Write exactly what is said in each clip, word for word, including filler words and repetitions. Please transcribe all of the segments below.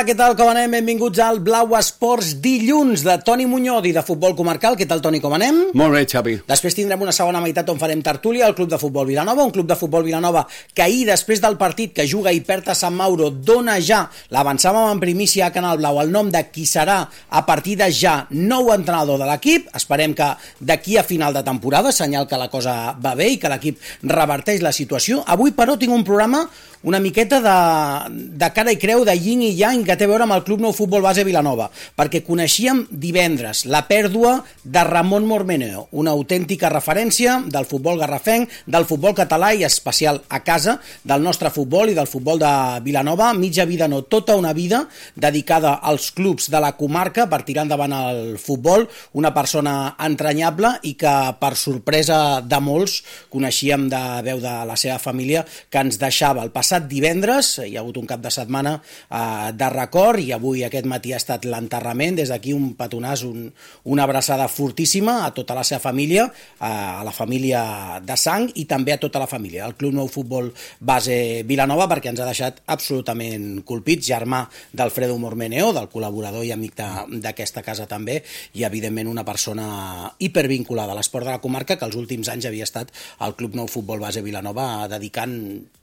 Hola, què tal, com anem? Benvinguts al Blau Esports dilluns de Toni Muñoz i de Futbol Comarcal. Què tal, Toni, com anem? Molt bé, Xavi. Després tindrem una segona meitat on farem tertúlia al Club de Futbol Vilanova, un Club de Futbol Vilanova que ahir, després del partit que juga i perd a Sant Mauro, dona ja, l'avançàvem en primícia a Canal Blau, el nom de qui serà a partir de ja nou entrenador de l'equip. Esperem que d'aquí a final de temporada, senyal que la cosa va bé i que l'equip reverteix la situació. Avui, però, tinc un programa una miqueta de, de cara i creu, de yin i yang, que té a veure amb el Club Nou Futbol Base Vilanova, perquè coneixíem divendres la pèrdua de Ramon Mormeneo, una autèntica referència del futbol garrafenc, del futbol català i especial a casa, del nostre futbol i del futbol de Vilanova, mitja vida, no, tota una vida dedicada als clubs de la comarca per tirar endavant el futbol, una persona entranyable i que, per sorpresa de molts, coneixíem de veu de la seva família, que ens deixava el passat divendres. Hi ha hagut un cap de setmana eh, de record i avui aquest matí ha estat l'enterrament. Des d'aquí un petonàs, un, una abraçada fortíssima a tota la seva família, eh, a la família de sang i també a tota la família, al Club Nou Futbol Base Vilanova, perquè ens ha deixat absolutament colpits, germà d'Alfredo Mormeneo, del col·laborador i amic d'aquesta casa també, i evidentment una persona hipervinculada a l'esport de la comarca, que els últims anys havia estat al Club Nou Futbol Base Vilanova dedicant,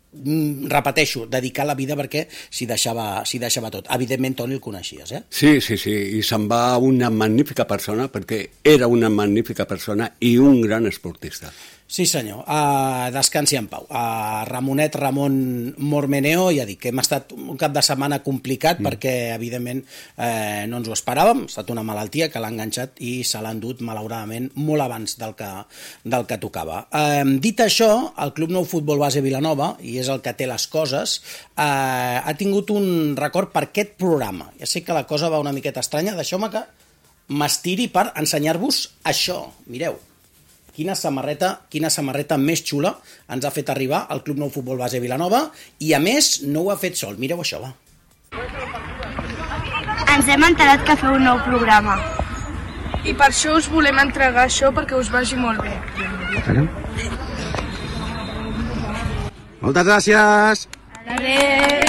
repeteixo, dedicar la vida perquè s'hi deixava, s'hi deixava tot. Evidentment, Toni, el coneixies, eh? Sí, sí, sí, i se'n va una magnífica persona, perquè era una magnífica persona i un gran esportista. Sí, senyor. Uh, descansi en pau. Uh, Ramonet Ramon Mormeneo, ja dic que hem estat un cap de setmana complicat mm. perquè, evidentment, eh, no ens ho esperàvem. Ha estat una malaltia que l'ha enganxat i se l'ha endut, malauradament, molt abans del que, del que tocava. Uh, dit això, el Club Nou Futbol Base Vilanova, i és el que té les coses, uh, ha tingut un record per aquest programa. Ja sé que la cosa va una miqueta estranya. Deixeu-me que m'estiri per ensenyar-vos això. Mireu. Quina samarreta, quina samarreta més xula ens ha fet arribar al Club Nou Futbol Base Vilanova i, a més, no ho ha fet sol. Mireu això, va. Ens hem enterat que feu un nou programa. I per això us volem entregar això perquè us vagi molt bé. Moltes gràcies! Adéu!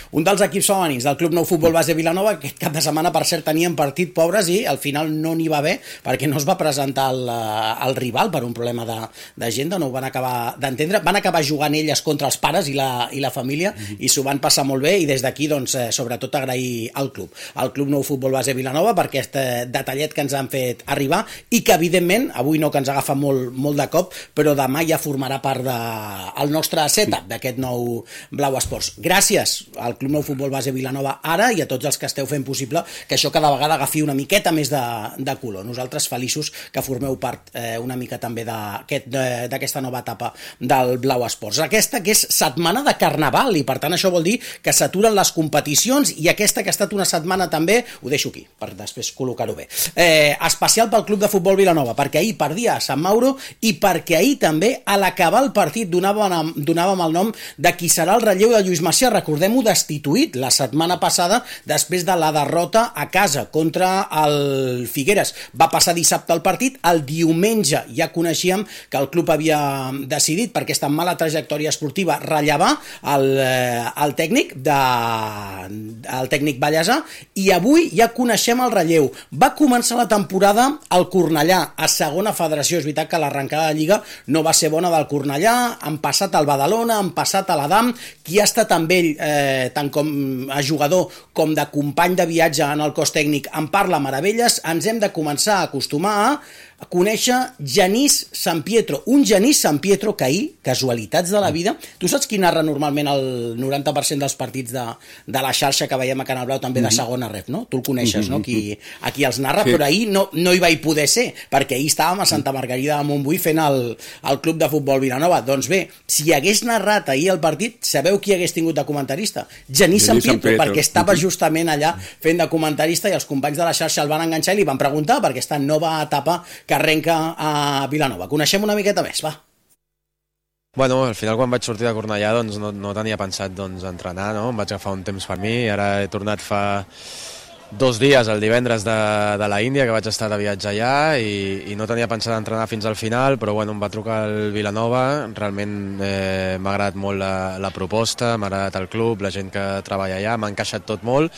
Un dels equips femenins del Club Nou Futbol Base Vilanova, aquest cap de setmana, per cert, tenien partit, pobres, i al final no n'hi va bé perquè no es va presentar el, el rival per un problema d'agenda, no ho van acabar d'entendre. Van acabar jugant elles contra els pares i la, i la família mm-hmm. i s'ho van passar molt bé, i des d'aquí, doncs, eh, sobretot agrair al club, al Club Nou Futbol Base Vilanova, per aquest eh, detallet que ens han fet arribar i que, evidentment, avui no, que ens agafa molt, molt de cop, però demà ja formarà part del de, nostre setup d'aquest nou Blau Esports. Gràcies al Club Nou Futbol Base Vilanova ara i a tots els que esteu fent possible que això cada vegada agafi una miqueta més de, de color. Nosaltres feliços que formeu part eh, una mica també d'aquesta aquest, nova etapa del Blau Esports. Aquesta que és setmana de Carnaval i, per tant, això vol dir que s'aturen les competicions, i aquesta que ha estat una setmana també, ho deixo aquí per després col·locar-ho bé, eh, especial pel Club de Futbol Vilanova, perquè ahir perdia a Sant Mauro i perquè ahir també, a l'acabar el partit, donàvem, donàvem el nom de qui serà el relleu de Lluís Macià. Recordem-ho, destituït la setmana passada després de la derrota a casa contra el Figueres. Va passar dissabte el partit, el diumenge ja coneixíem que el club havia decidit, per aquesta mala trajectòria esportiva, rellevar el, el tècnic de, el tècnic ballesà, i avui ja coneixem el relleu. Va començar la temporada al Cornellà, a segona federació. És veritat que l'arrencada de Lliga no va ser bona del Cornellà, han passat al Badalona, han passat a l'Adam, qui ha estat amb ell eh, tant com a jugador com de company de viatge en el cos tècnic en parla meravelles. Ens hem de començar a acostumar a a conèixer Genís Sampietro, un Genís Sampietro que ahir, casualitats de la vida, tu saps qui narra normalment el noranta per cent dels partits de, de la xarxa que veiem a Canal Blau, també de segona ref, no? Tu el coneixes, no? Qui, a qui els narra, sí. Però ahir no, no hi vaig poder ser, perquè ahir estàvem a Santa Margarida de Montbui fent el, el Club de Futbol Vilanova. Doncs bé, si hagués narrat ahir el partit, sabeu qui hagués tingut de comentarista? Genís Sampietro, perquè estava justament allà fent de comentarista, i els companys de la xarxa el van enganxar i li van preguntar per aquesta nova etapa que arrenca a Vilanova. Coneixem una miqueta més, va. Bueno, al final quan vaig sortir de Cornellà doncs no, no tenia pensat doncs, entrenar, no? Em vaig agafar un temps per mi i ara he tornat fa dos dies, el divendres de, de la Índia, que vaig estar de viatge allà i, i no tenia pensat entrenar fins al final, però bueno, em va trucar el Vilanova, realment eh, m'ha agradat molt la, la proposta, m'ha agradat el club, la gent que treballa allà, m'ha encaixat tot molt,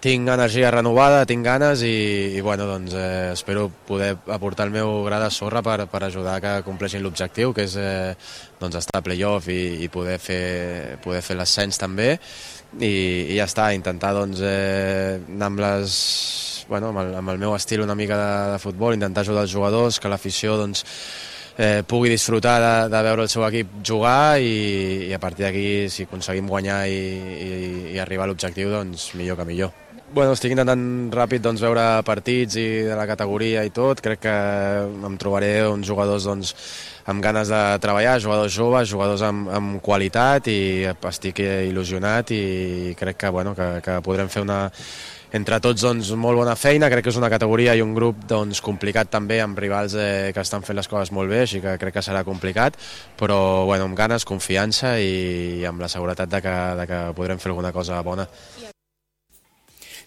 tinc energia renovada, tinc ganes i, i bueno, doncs, eh, espero poder aportar el meu gra de sorra per, per ajudar que compleixin l'objectiu, que és eh, doncs estar a playoff i, i poder fer, poder fer l'ascens també. I, i ja està, intentar doncs, eh, anar amb, les, bueno, amb, el, amb el meu estil una mica de, de futbol, intentar ajudar els jugadors, que l'afició doncs, eh, pugui disfrutar de, de veure el seu equip jugar i, i a partir d'aquí, si aconseguim guanyar i, i, i arribar a l'objectiu, doncs millor que millor. Bueno, estic intentant ràpid doncs, veure partits i de la categoria i tot. Crec que em trobaré uns jugadors doncs, amb ganes de treballar, jugadors joves, jugadors amb, amb qualitat i estic il·lusionat i crec que, bueno, que, que podrem fer una, entre tots doncs, molt bona feina. Crec que és una categoria i un grup doncs, complicat també, amb rivals eh, que estan fent les coses molt bé, així que crec que serà complicat, però bueno, amb ganes, confiança i amb la seguretat de que, de que podrem fer alguna cosa bona.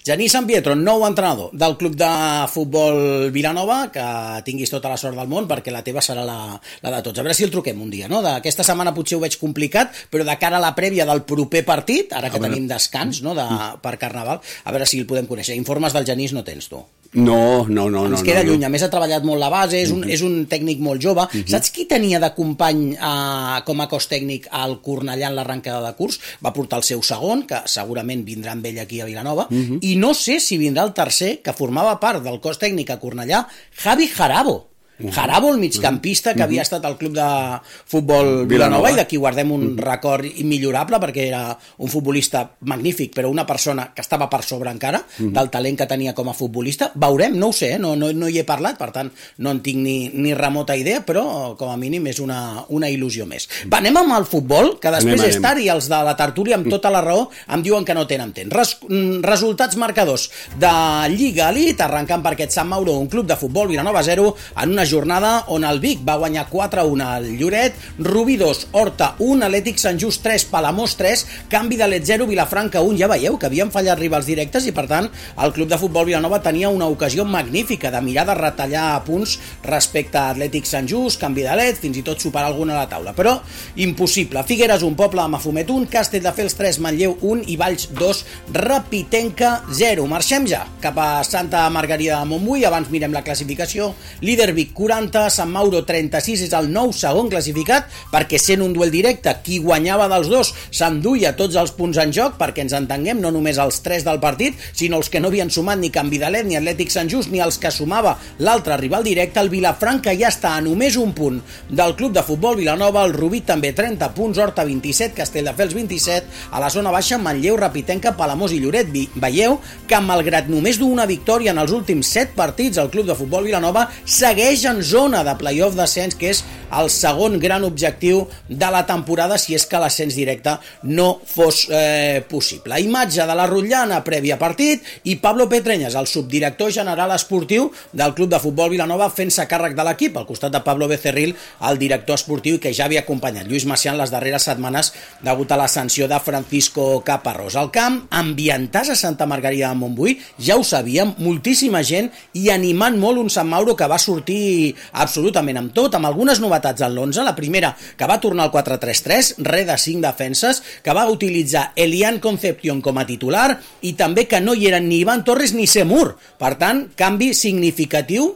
Genís San Pietro, nou entrenador del club de futbol Vilanova, que tinguis tota la sort del món perquè la teva serà la, la de tots. A veure si el truquem un dia, no? Aquesta setmana potser ho veig complicat, però de cara a la prèvia del proper partit, ara que tenim descans no? de, per Carnaval, a veure si el podem conèixer. Informes del Genís no tens, tu? No, no, no. Ens no, queda no, lluny, no. a més ha treballat molt la base, és un, Uh-huh. és un tècnic molt jove. Uh-huh. Saps qui tenia de company eh, com a cos tècnic al Cornellà en l'arrencada de curs? Va portar el seu segon, que segurament vindrà amb ell aquí a Vilanova, uh-huh. i no sé si vindrà el tercer, que formava part del cos tècnic a Cornellà, Javi Jarabo. Uh-huh. Jarabo, el migcampista que uh-huh. havia estat al club de futbol Vilanova, Vilanova. I d'aquí guardem un uh-huh. record immillorable perquè era un futbolista magnífic, però una persona que estava per sobre encara uh-huh. del talent que tenia com a futbolista. Veurem, no ho sé, eh? no, no, no hi he parlat, per tant no en tinc ni, ni remota idea, però com a mínim és una, una il·lusió més. Va, anem amb el futbol, que després anem, és tard anem. I els de la tertúlia amb tota la raó em diuen que no tenen temps. Res, resultats marcadors de Lliga Elite, arrencant per aquest Sant Mauro, un club de futbol Vilanova zero, en una jornada on el Vic va guanyar quatre a un al Lloret, Rubí dos, Horta un, Atlètic Sant Just tres, Palamós tres, Canvi de Let zero, Vilafranca un. Ja veieu que havien fallat rivals directes i per tant el club de futbol Vilanova tenia una ocasió magnífica de mirar de retallar punts respecte a Atlètic Sant Just, Canvi de Let, fins i tot superar alguna a la taula, però impossible. Figueres un, Poble de Mafumet un, Castelldefels tres, Manlleu un i Valls dos, Rapitenca zero. Marxem ja cap a Santa Margarida de Montbui, abans mirem la classificació. Líder Vic quaranta, Sant Mauro trenta-sis, és el nou segon classificat, perquè sent un duel directe, qui guanyava dels dos s'enduia tots els punts en joc, perquè ens entenguem, no només els tres del partit, sinó els que no havien sumat ni Canvi de Let, ni Atlètic Sant Just, ni els que sumava l'altre rival directe. El Vilafranca ja està a només un punt del club de futbol Vilanova, el Rubí també trenta punts, Horta vint-i-set, Castelldefels vint-i-set, a la zona baixa Manlleu, Rapitenca, Palamós i Lloret. Veieu que malgrat només d'una victòria en els últims set partits, el club de futbol Vilanova segueix en zona de playoff d'ascens, que és el segon gran objectiu de la temporada si és que l'ascens directe no fos eh, possible. Imatge de la Rotllana prèvia partit i Pablo Petreñas, el subdirector general esportiu del club de futbol Vilanova, fent-se càrrec de l'equip, al costat de Pablo Becerril, el director esportiu, que ja havia acompanyat Lluís Macià en les darreres setmanes degut a la sanció de Francisco Caparrós. Al camp, ambientàs a Santa Margarida de Montbui, ja ho sabíem, moltíssima gent i animant molt un Sant Mauro que va sortir absolutament amb tot, amb algunes novetats en l'onze. La primera, que va tornar al quatre tres tres, re de cinc defenses, que va utilitzar Elian Concepción com a titular i també que no hi eren ni Ivan Torres ni Semur. Per tant, canvi significatiu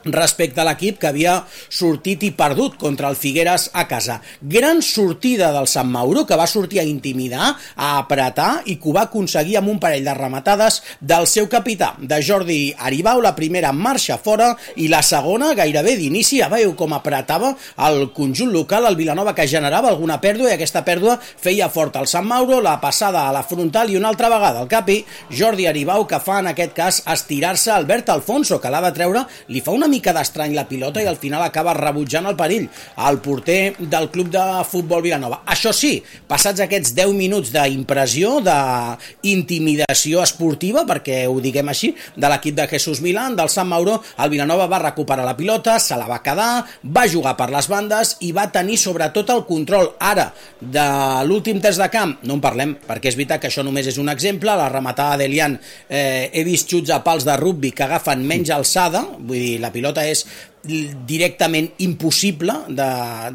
respecte a l'equip que havia sortit i perdut contra el Figueres a casa. Gran sortida del Sant Mauro, que va sortir a intimidar, a apretar i que ho va aconseguir amb un parell de rematades del seu capità, de Jordi Aribau. La primera marxa fora i la segona gairebé d'inici. Ja veieu com apretava el conjunt local, el Vilanova, que generava alguna pèrdua, i aquesta pèrdua feia fort al Sant Mauro. La passada a la frontal i una altra vegada al capi Jordi Aribau, que fa en aquest cas estirar-se Albert Alfonso, que l'ha de treure, li fa una mica d'estrany la pilota i al final acaba rebutjant el perill al porter del club de futbol Vilanova. Això sí, passats aquests deu minuts d'impressió, d'intimidació esportiva, perquè ho diguem així, de l'equip de Jesús Milán, del Sant Mauro, el Vilanova va recuperar la pilota, se la va quedar, va jugar per les bandes i va tenir sobretot el control. Ara, de l'últim terç de camp, no en parlem, perquè és veritat que això només és un exemple, la rematada d'Elian, eh, he vist xuts a pals de rugbi que agafen menys alçada, vull dir, la pilota és directament impossible de,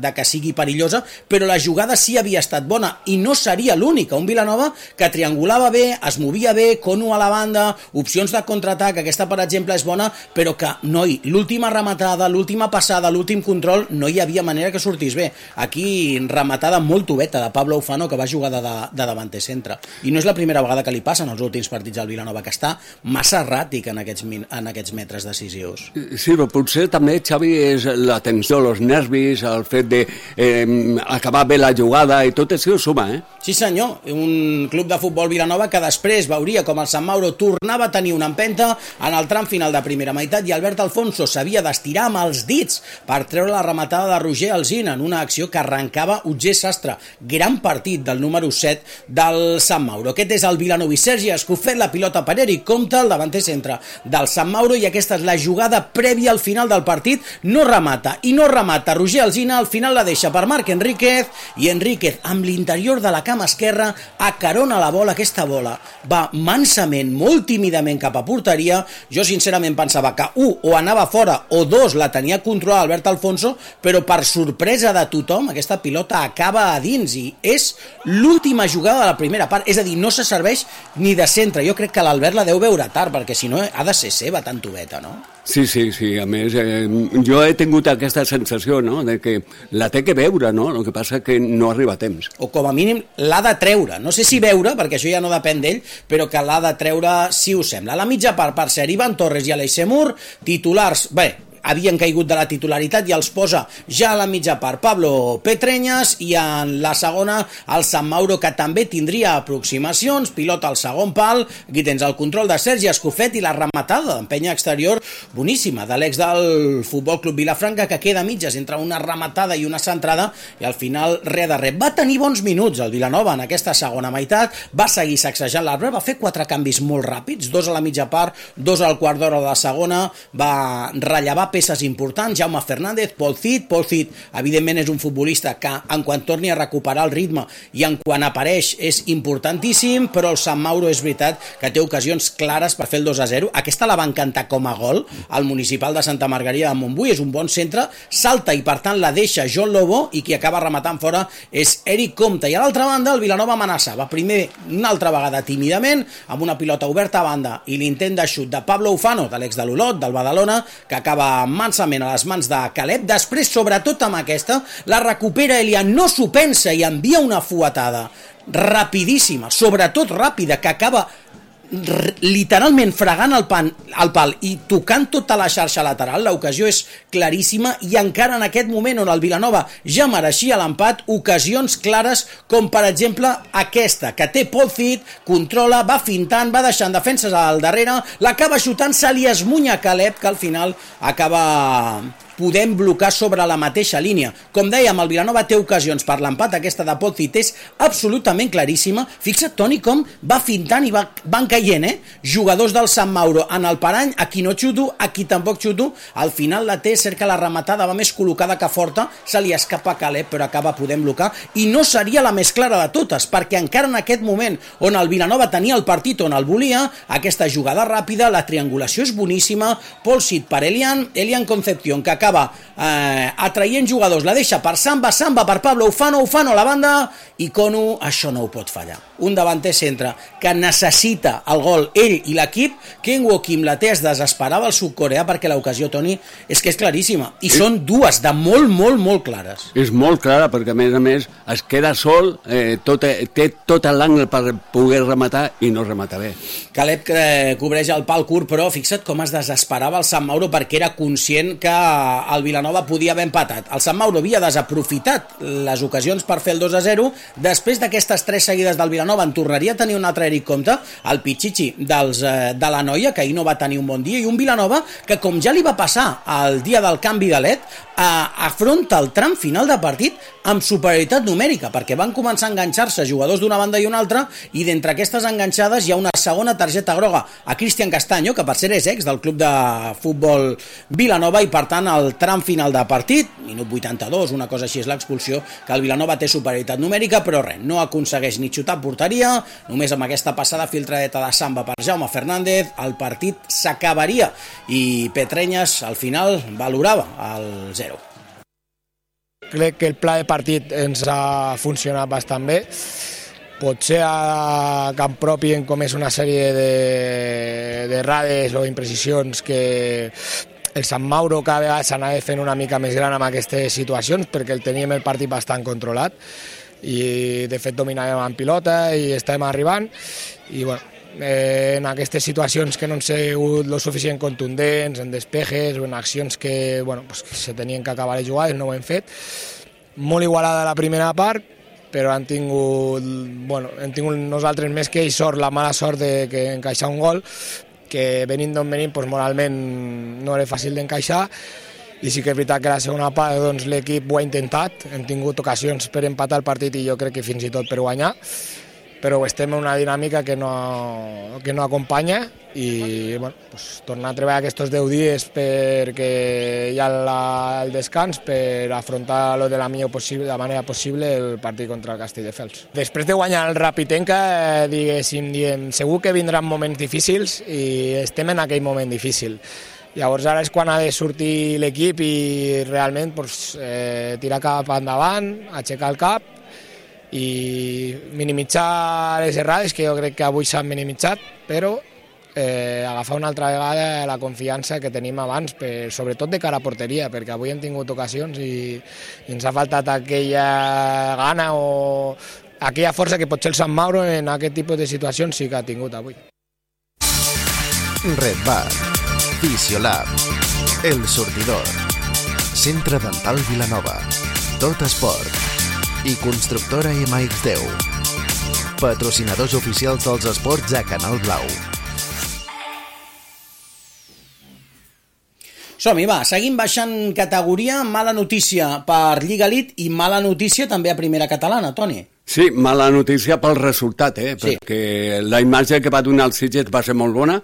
de que sigui perillosa, però la jugada sí havia estat bona i no seria l'única. Un Vilanova que triangulava bé, es movia bé, Cono a la banda, opcions de contraatac, aquesta per exemple és bona, però que, noi, l'última rematada, l'última passada, l'últim control, no hi havia manera que sortís bé. Aquí rematada molt tubeta de Pablo Ufano, que va jugar de, de, de davanter centre. I no és la primera vegada que li passa en els últims partits al Vilanova, que està massa erràtic en aquests, en aquests metres decisius. Sí, però potser també, Xavi, és la tensió, els nervis, el fet de eh, acabar bé la jugada i tot això suma, eh? Sí senyor, un club de futbol Vilanova que després veuria com el Sant Mauro tornava a tenir una empenta en el tram final de primera meitat i Albert Alfonso s'havia d'estirar amb els dits per treure la rematada de Roger Alsina en una acció que arrencava Utger Sastre. Gran partit del número set del Sant Mauro. Aquest és el Vilanovi. Sergi Escofet, la pilota per Eric Comte, el davanter centre del Sant Mauro, i aquesta és la jugada prèvia al final del partit. No remata, i no remata Roger Alsina, al final la deixa per Marc Enríquez, i Enríquez amb l'interior de la cama esquerra acarona la bola. Aquesta bola va mansament, molt tímidament cap a porteria. Jo sincerament pensava que un, o anava fora, o dos, la tenia controlada Albert Alfonso, però per sorpresa de tothom aquesta pilota acaba a dins i és l'última jugada de la primera part, és a dir, no se serveix ni de centre. Jo crec que l'Albert la deu veure tard, perquè si no ha de ser seva tan tubeta, no? Sí, sí, sí, a més, eh, jo he tingut aquesta sensació, no?, de que la té que veure, no?, el que passa que no arriba a temps. O com a mínim l'ha de treure, no sé si veure, perquè això ja no depèn d'ell, però que l'ha de treure si us sembla. A la mitja part, per ser Ivan Torres i Aleix Semur, titulars, bé, havien caigut de la titularitat i els posa ja a la mitja part Pablo Petreñas, i en la segona el Sant Mauro, que també tindria aproximacions, pilota al segon pal, aquí tens el control de Sergi Escofet i la rematada d'empenya exterior boníssima de l'ex del Futbol Club Vilafranca, que queda a mitges entre una rematada i una centrada, i al final res de res. Va tenir bons minuts el Vilanova en aquesta segona meitat, va seguir sacsejant l'arbre, va fer quatre canvis molt ràpids, dos a la mitja part, dos al quart d'hora de la segona, va rellevar peces importants, Jaume Fernández, Pol Cid. Pol Cid, evidentment, és un futbolista que en quan torni a recuperar el ritme i en quan apareix és importantíssim, però el Sant Mauro és veritat que té ocasions clares per fer el dos a zero. Aquesta la va encantar com a gol al Municipal de Santa Margarida de Montbui, és un bon centre, salta i per tant la deixa John Lobo, i qui acaba rematant fora és Eric Comte. I a l'altra banda el Vilanova amenaçava primer una altra vegada tímidament amb una pilota oberta a banda i l'intent de xut de Pablo Ufano, de l'ex de l'Olot, del Badalona, que acaba mansament a les mans de Caleb. Després, sobretot amb aquesta, la recupera Elian, no s'ho pensa i envia una fuetada rapidíssima, sobretot ràpida, que acaba literalment fregant el, pan, el pal i tocant tota la xarxa lateral. L'ocasió és claríssima, i encara en aquest moment on el Vilanova ja mereixia l'empat, ocasions clares com per exemple aquesta, que té Pol Cid, controla, va fintant, va deixant defenses al darrere, l'acaba xutant, se li esmunya Caleb, que al final acaba podem blocar sobre la mateixa línia. Com dèiem, el Vilanova té ocasions per l'empat, aquesta de Pol Cid és absolutament claríssima. Fixa't, Toni, com va fintant i va, van caient, eh? Jugadors del Sant Mauro en el parany, aquí no xuto, aquí tampoc xuto, al final la té, cerca la rematada, va més col·locada que forta, se li escapa Caleb, però acaba podent blocar, i no seria la més clara de totes, perquè encara en aquest moment on el Vilanova tenia el partit on el volia, aquesta jugada ràpida, la triangulació és boníssima, Pol Cid per Elian, Elian Concepción, que acaba Eh, atraient jugadors, la deixa per Samba, Samba per Pablo Ufano, Ufano a la banda, i Cono això no ho pot fallar. Un davanter centre que necessita el gol ell i l'equip. Ken Wokim la té, es desesperava el sud-coreà, perquè l'ocasió, Toni, és que és claríssima, i són dues de molt, molt, molt clares. És molt clara, perquè a més a més es queda sol, eh, tot, té tot l'angle per poder rematar i no remata bé. Caleb que cobreix el pal curt, però fixa't com es desesperava el Sant Mauro, perquè era conscient que el Vilanova podia haver empatat. El Sant Mauro havia desaprofitat les ocasions per fer el dos a zero. Després d'aquestes tres seguides del Vilanova, Vilanova en tornaria a tenir un altre Eric Comte, el Pichichi dels, eh, de la Noia, que ahir no va tenir un bon dia, i un Vilanova que, com ja li va passar el dia del canvi de L E D, eh, afronta el tram final de partit amb superioritat numèrica, perquè van començar a enganxar-se jugadors d'una banda i una altra, i d'entre aquestes enganxades hi ha una segona targeta groga a Cristian Castaño, que per ser és ex del club de futbol Vilanova, i per tant el tram final de partit, minut vuitanta-dos, una cosa així és l'expulsió, que el Vilanova té superioritat numèrica, però res, no aconsegueix ni xutar a porteria, només amb aquesta passada filtradeta de Samba per Jaume Fernández, el partit s'acabaria, i Petrenyes al final valorava el zero. Crec que el pla de partit ens ha funcionat bastant bé. Potser a camp propi hem comès una sèrie de, de errades o imprecisions que el Sant Mauro cada vegada s'anava fent una mica més gran en aquestes situacions, perquè el teníem el partit bastant controlat i de fet dominàvem en pilota i estàvem arribant, i bueno, eh, en aquestes situacions que no han sigut lo suficient contundents, en despejes o en accions que, bueno, pues, que se tenien que acabar les jugades, no ho hem fet. Molt igualada la primera part, però han tingut, bueno, hem tingut nosaltres més que ells sort, la mala sort de que encaixar un gol, que venint d'on venim, pues, moralment no era fàcil d'encaixar, i sí que és veritat que la segona part doncs, l'equip ho ha intentat, hem tingut ocasions per empatar el partit i jo crec que fins i tot per guanyar, però estem en una dinàmica que no, que no acompanya, i bueno, pues, tornar a treballar aquests deu dies perquè hi ha la, el descans per afrontar-lo de la millor possible, de la manera possible el partit contra el Castelldefels. Després de guanyar el Rapitenca, diguéssim, diem, segur que vindran moments difícils i estem en aquell moment difícil. Llavors ara és quan ha de sortir l'equip i realment pues, eh, tirar cap endavant, aixecar el cap i minimitzar les errades, que jo crec que avui s'han minimitzat, però eh, agafar una altra vegada la confiança que tenim abans, per, sobretot de cara a porteria, perquè avui hem tingut ocasions i, i ens ha faltat aquella gana o aquella força que potser el Sant Mauro en aquest tipus de situacions sí que ha tingut avui. Red Bar, Fisiolab, El Sortidor, Centre Dental Vilanova, Tot Esport i Constructora ema ics deu, patrocinadors oficials dels esports a Canal Blau. Som-hi, va, seguim baixant categoria, mala notícia per Lliga Elite i mala notícia també a Primera Catalana, Toni. Sí, mala notícia pel resultat, eh? Sí. Perquè la imatge que va donar el Sitges va ser molt bona,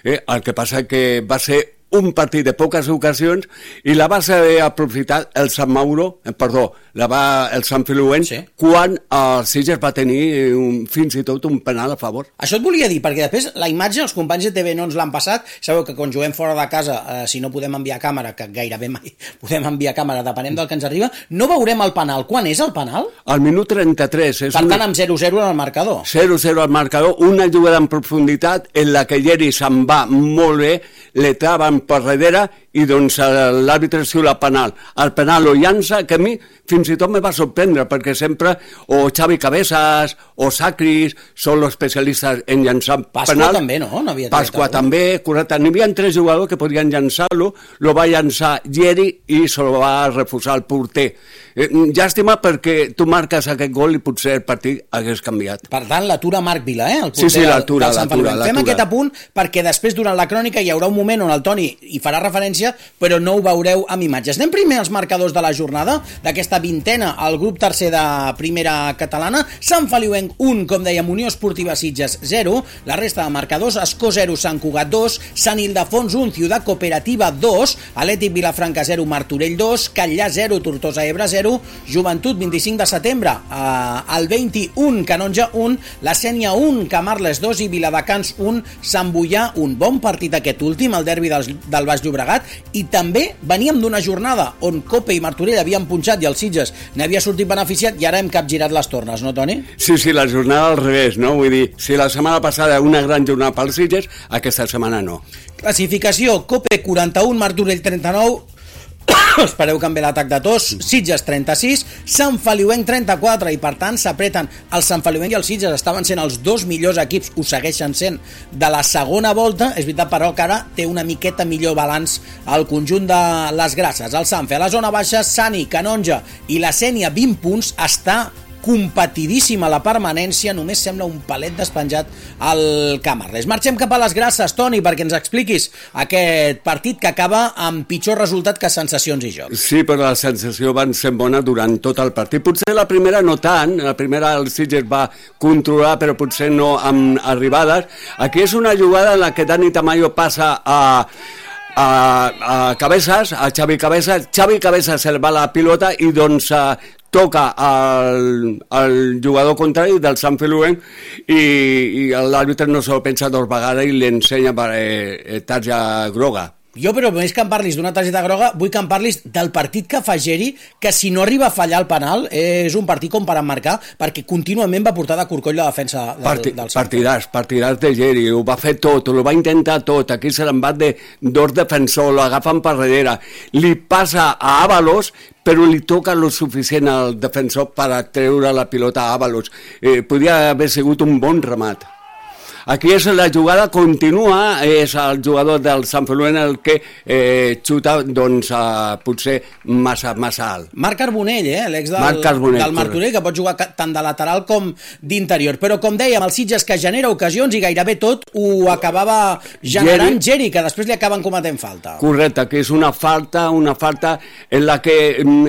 eh? El que passa que va ser un partit de poques ocasions i la va saber aprofitar el Sant Mauro, eh, perdó, la va, el Sant Feliuenc, sí, quan el Sitges va tenir un, fins i tot un penal a favor. Això et volia dir, perquè després la imatge, els companys de T V no ens l'han passat, sabeu que quan juguem fora de casa, eh, si no podem enviar càmera, que gairebé mai podem enviar càmera, depenent del que ens arriba, no veurem el penal. Quan és el penal? Al minut trenta-tres. És per una... tant, amb zero zero en el marcador. zero zero al marcador, una jugada en profunditat en la que Yeri se'n va molt bé, le traven per darrere i doncs l'àrbitre xiula penal. El penal lo llança, que a mi fins i tot me va sorprendre, perquè sempre o Xavi Cabezas o Sacris són els especialistes en llançar Pasqua penal. també, no? no havia Pasqua també, correcte. N'hi havia tres jugadors que podien llançar-lo, lo va llançar Yeri i se lo va refusar el porter. Eh, llàstima perquè tu marques aquest gol i potser el partit hagués canviat. Per tant, l'atura Marc Vila, eh? El sí, sí, l'atura, del Sant l'atura, l'atura. Fem aquest apunt perquè després, durant la crònica, hi haurà un moment on el Toni hi farà referència, però no ho veureu amb imatges. Anem primer als marcadors de la jornada, d'aquesta vintena, al grup tercer de Primera Catalana. Sant Feliuenc un, com dèiem, Unió Esportiva Sitges zero, la resta de marcadors, Escó zero, Sant Cugat dos, Sant Ildefons un, Ciutat Cooperativa dos, Atlètic Vilafranca zero, Martorell dos, Catllà zero, Tortosa Ebre zero, Joventut vint-i-cinc de setembre, eh, el vint-i-un, Canonja un, la Sénia un, Camarles dos i Viladecans un, Sant Boià un. Bon partit aquest últim, el derbi del, del Baix Llobregat, i també veníem d'una jornada on Cope i Martorell havien punxat i el Sitges n'havia sortit beneficiat i ara hem capgirat les tornes, no, Toni? Sí, sí, la jornada al revés, no? Vull dir, si la setmana passada una gran jornada pels Sitges, aquesta setmana no. Classificació, Cope quaranta-un, Martorell trenta-nou, espereu que em ve l'atac de tos, Sitges trenta-sis, Sant Feliuenc trenta-quatre, i per tant s'apreten. El Sant Feliuenc i el Sitges estaven sent els dos millors equips, ho segueixen sent, de la segona volta. És veritat, però, que ara té una miqueta millor balanç al conjunt de les Grasses. El Sanfe a la zona baixa, Sani, Canonja i la Sénia vint punts, està competidíssima la permanència, només sembla un palet despenjat al Camarles. Marxem cap a les Grasses, Toni, perquè ens expliquis aquest partit que acaba amb pitjor resultat que sensacions i jocs. Sí, però la sensació van ser bona durant tot el partit. Potser la primera no tant, la primera el Sitges va controlar, però potser no amb arribades. Aquí és una jugada en la que Dani Tamayo passa a... A, a Cabezas, a Xavi Cabezas. Xavi Cabezas se va la pilota i doncs uh, toca al, al jugador contrari del Sant Feliuenc i, i l'àrbitre no se lo pensa dos vegades i li ensenya per eh, tarja groga. Jo, però més que em parlis d'una targeta groga, vull que em parlis del partit que fa Geri, que si no arriba a fallar el penal, és un partit com per emmarcar, perquè contínuament va portar de corcoll la defensa del, Parti, del Sant. Partidars, partidars de Geri, ho va fer tot, ho va intentar tot, aquí se l'embat de dos defensors, l'agafen per darrere, li passa a Ábalos, però li toca lo suficient al defensor per a treure la pilota a Ábalos. Eh, podia haver sigut un bon remat. Aquí és la jugada continua, és el jugador del Sant Feliuenc el que eh, xuta doncs, uh, potser massa, massa alt. Marc Carbonell, eh? l'ex del, Marc Carbonell, del Martorell, que pot jugar tant de lateral com d'interior. Però com dèiem, el Sitges que genera ocasions i gairebé tot ho acabava generant Geri, Geri que després li acaben cometent falta. Correcte, que és una falta, una falta en la que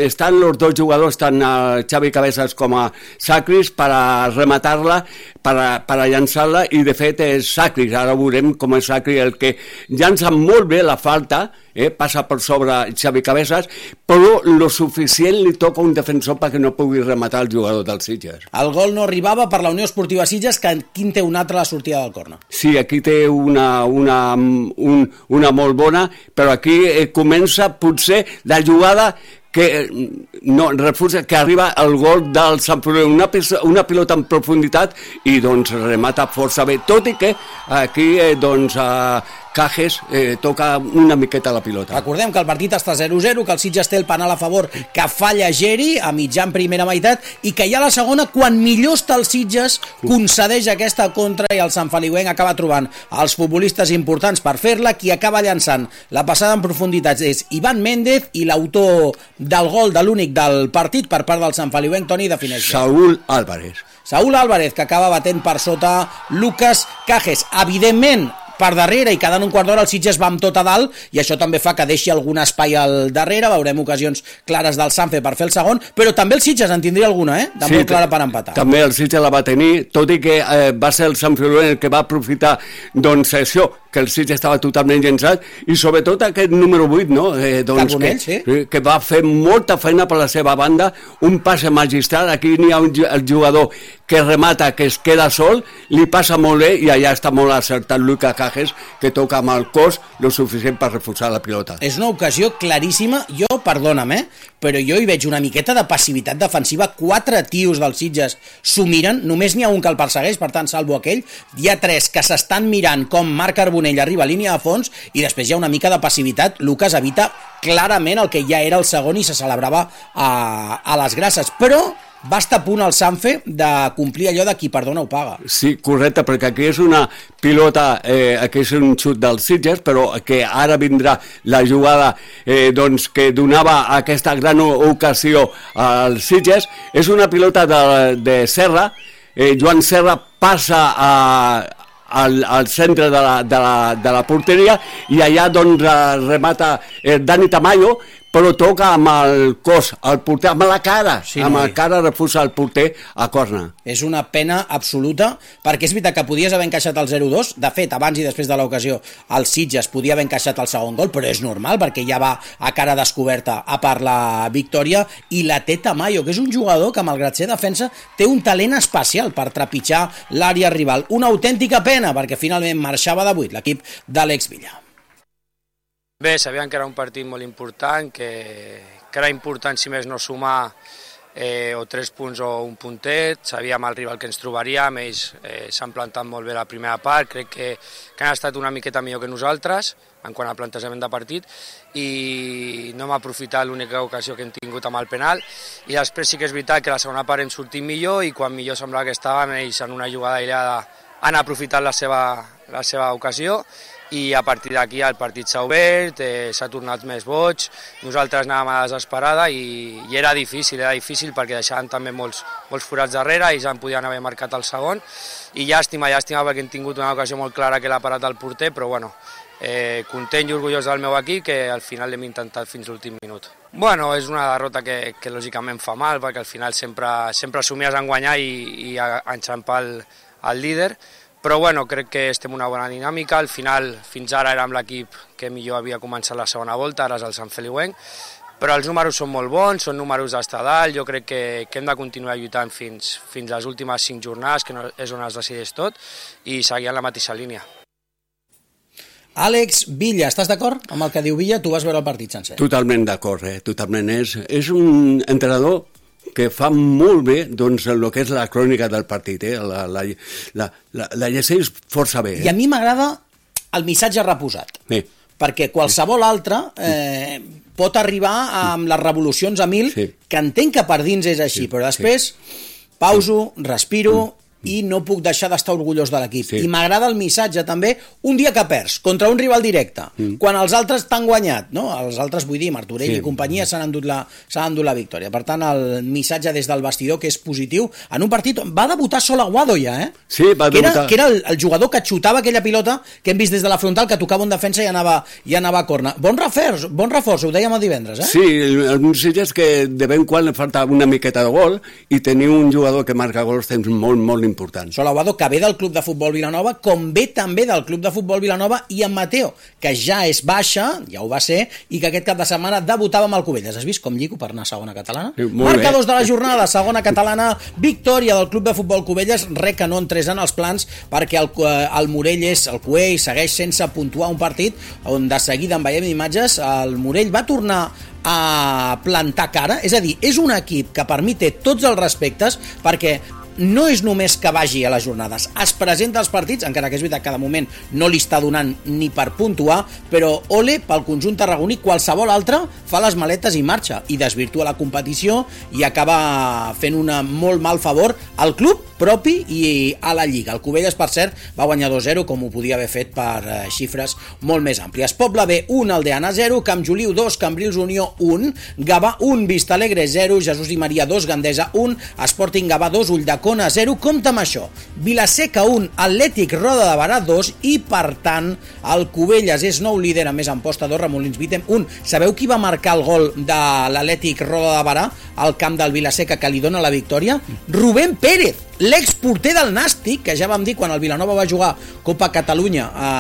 estan els dos jugadors, tant uh, Xavi Cabezas com a Sacris, per a rematar-la, per a, per a llançar-la, i de fet és Sacris, ara veurem com és Sacris el que llança molt bé la falta, eh, passa per sobre Xavi Cabezas, però lo suficient li toca un defensor perquè no pugui rematar el jugador del Sitges. El gol no arribava per la Unió Esportiva Sitges, que aquí té un altre a la sortida del córner. Sí, aquí té una, una, un, una molt bona, però aquí eh, comença potser la jugada que no refusa, que arriba al gol del Sant Feliuenc, una, una pilota en profunditat i doncs remata força bé, tot i que aquí eh, doncs eh, Cajes eh, toca una miqueta la pilota. Recordem que el partit està zero zero, que el Sitges té el penal a favor que falla Geri a mitjan primera meitat i que ja a la segona, quan millor està el Sitges, concedeix aquesta contra i el Sant Feliuenc acaba trobant els futbolistes importants per fer-la. Qui acaba llançant la passada en profunditats és Iván Méndez i l'autor del gol de l'únic del partit per part del Sant Feliuenc, Toni, defineix. Saúl Álvarez. Saúl Álvarez, que acaba batent per sota Lucas Cajes. Evidentment, per darrere i quedant un quart d'hora el Sitges va amb tot a dalt i això també fa que deixi algun espai al darrere, veurem ocasions clares del Sanfe per fer el segon, però també el Sitges en tindria alguna, eh? de sí, molt clara per empatar. També el Sitges la va tenir, tot i que eh, va ser el Sant Feliuenc el que va aprofitar doncs això, que el Sitges estava totalment llençat, i sobretot aquest número vuit, no? Eh, doncs Carbonell, que, sí. que va fer molta feina per la seva banda, un passe magistral, aquí n'hi ha un el jugador que remata, que es queda sol, li passa molt bé i allà està molt acertat Lucas Cajes, que toca amb el cos lo suficient per reforçar la pilota. És una ocasió claríssima, jo, perdona'm, eh, però jo hi veig una miqueta de passivitat defensiva, quatre tios dels Sitges s'ho miren, només n'hi ha un que el persegueix, per tant salvo aquell, hi ha tres que s'estan mirant com Marc Carbonell arriba a línia de fons i després hi ha una mica de passivitat. Lucas evita clarament el que ja era el segon i se celebrava a, a les Grasses, però va estar a punt el Sanfe de complir allò de qui perdona ho paga. Sí, correcte, perquè aquí és una pilota, eh, aquí és un xut del Sitges, però que ara vindrà la jugada eh, doncs, que donava aquesta gran ocasió al Sitges. És una pilota de, de Serra, eh, Joan Serra passa a Al, al centre de la, de, la, de la porteria i allà doncs remata eh, Dani Tamayo, però toca amb el cos, el porter, amb la cara, sí, amb la cara refusa el porter a corna. És una pena absoluta, perquè és veritat que podies haver encaixat el zero dos, de fet, abans i després de l'ocasió, el Sitges podia haver encaixat el segon gol, però és normal, perquè ja va a cara descoberta a per la victòria, i la té Tamayo, que és un jugador que, malgrat ser defensa, té un talent especial per trepitjar l'àrea rival. Una autèntica pena, perquè finalment marxava de vuit l'equip d'Àlex Villa. Bé, sabíem que era un partit molt important, que, que era important, si més no, sumar eh, o tres punts o un puntet. Sabíem el rival que ens trobaríem, ells eh, s'han plantat molt bé la primera part, crec que, que han estat una miqueta millor que nosaltres en quant a plantejament de partit, i no hem aprofitat l'única ocasió que hem tingut amb el penal, i després sí que és veritat que la segona part hem sortit millor, i quan millor semblava que estàvem, ells en una jugada aïllada han aprofitat la seva, la seva ocasió, i a partir d'aquí el partit s'ha obert, eh, s'ha tornat més boig, nosaltres anàvem a desesperada i, i era difícil, era difícil perquè deixaven també molts, molts forats darrere, ells en podien haver marcat el segon, i llàstima, llàstima perquè hem tingut una ocasió molt clara que l'ha parat el porter, però bueno, eh, content i orgullós del meu equip que al final l'hem intentat fins l'últim minut. Bueno, és una derrota que, que lògicament fa mal perquè al final sempre, sempre somies en guanyar i, i a, a enxampar el, el líder, però bueno, crec que estem en una bona dinàmica, al final fins ara érem l'equip que millor havia començat la segona volta, ara és el Sant Feliuenc, però els números són molt bons, són números d'estar dalt, jo crec que, que hem de continuar lluitant fins, fins les últimes cinc jornades, que no, és on es decideix tot, i seguir en la mateixa línia. Àlex Villa, estàs d'acord amb el que diu Villa? Tu vas veure el partit sencer. Totalment d'acord, eh? Totalment. És, és un entrenador que fa molt bé doncs, el que és la crònica del partit, eh? la, la, la, la, la llegeix força bé. Eh? I a mi m'agrada el missatge reposat, sí. perquè qualsevol altre eh, pot arribar amb les revolucions a mil, sí. que entenc que per dins és així, sí, però després sí. pauso, respiro, mm. i no puc deixar d'estar orgullós de l'equip. Sí. I m'agrada el missatge també, un dia que perds, contra un rival directe, mm. quan els altres t'han guanyat, no? Els altres, vull dir, Martorell sí. i companyia s'han endut, la, s'han endut la victòria. Per tant, el missatge des del vestidor que és positiu, en un partit on va debutar Sol Aguado ja, eh? Sí, va que debutar. Era, que era el, el jugador que xutava aquella pilota que hem vist des de la frontal, que tocava un defensa i anava, i anava a corna. Bon reforç, bon reforç, ho dèiem el divendres, eh? Sí, el, el missatge és que de ben quan li falta una miqueta de gol i tenir un jugador que marca gols temps molt, molt important. Sol Aguado, que ve del Club de Futbol Vilanova, com ve també del Club de Futbol Vilanova, i en Mateo, que ja és baixa, ja ho va ser, i que aquest cap de setmana debutava amb el Cubelles. Has vist com lligo per anar a segona catalana? Sí, Marcadors de la jornada, segona catalana, victòria del Club de Futbol Cubelles, re que no entrés en els plans, perquè el, el Morell és, el Cuell segueix sense puntuar un partit, on de seguida en veiem imatges, el Morell va tornar a plantar cara, és a dir, és un equip que per mi té tots els respectes, perquè no és només que vagi a les jornades, es presenta als partits, encara que és veritat que de moment no li està donant ni per puntuar, però ole pel conjunt tarragoní, qualsevol altre fa les maletes i marxa, i desvirtua la competició i acaba fent un molt mal favor al club propi i a la Lliga. El Cubelles, per cert, va guanyar dos zero, com ho podia haver fet per eh, xifres molt més àmplies. Poble B un, Aldeana zero, Camp Juliu dos, Cambrils Unió un, Gavà un, Vistalegre zero, Jesús i Maria dos, Gandesa un, Sporting Gavà dos, Ulldecona zero, compta amb això, Vilaseca un, Atlètic Roda de Barà dos, i per tant el Cubelles és nou líder, a més en posta dos, Remolins Vitem un. Sabeu qui va marcar el gol de l'Atlètic Roda de Barà al camp del Vilaseca que li dona la victòria? Rubén Pérez, l'exporter del Nàstic, que ja vam dir quan el Vilanova va jugar Copa Catalunya a,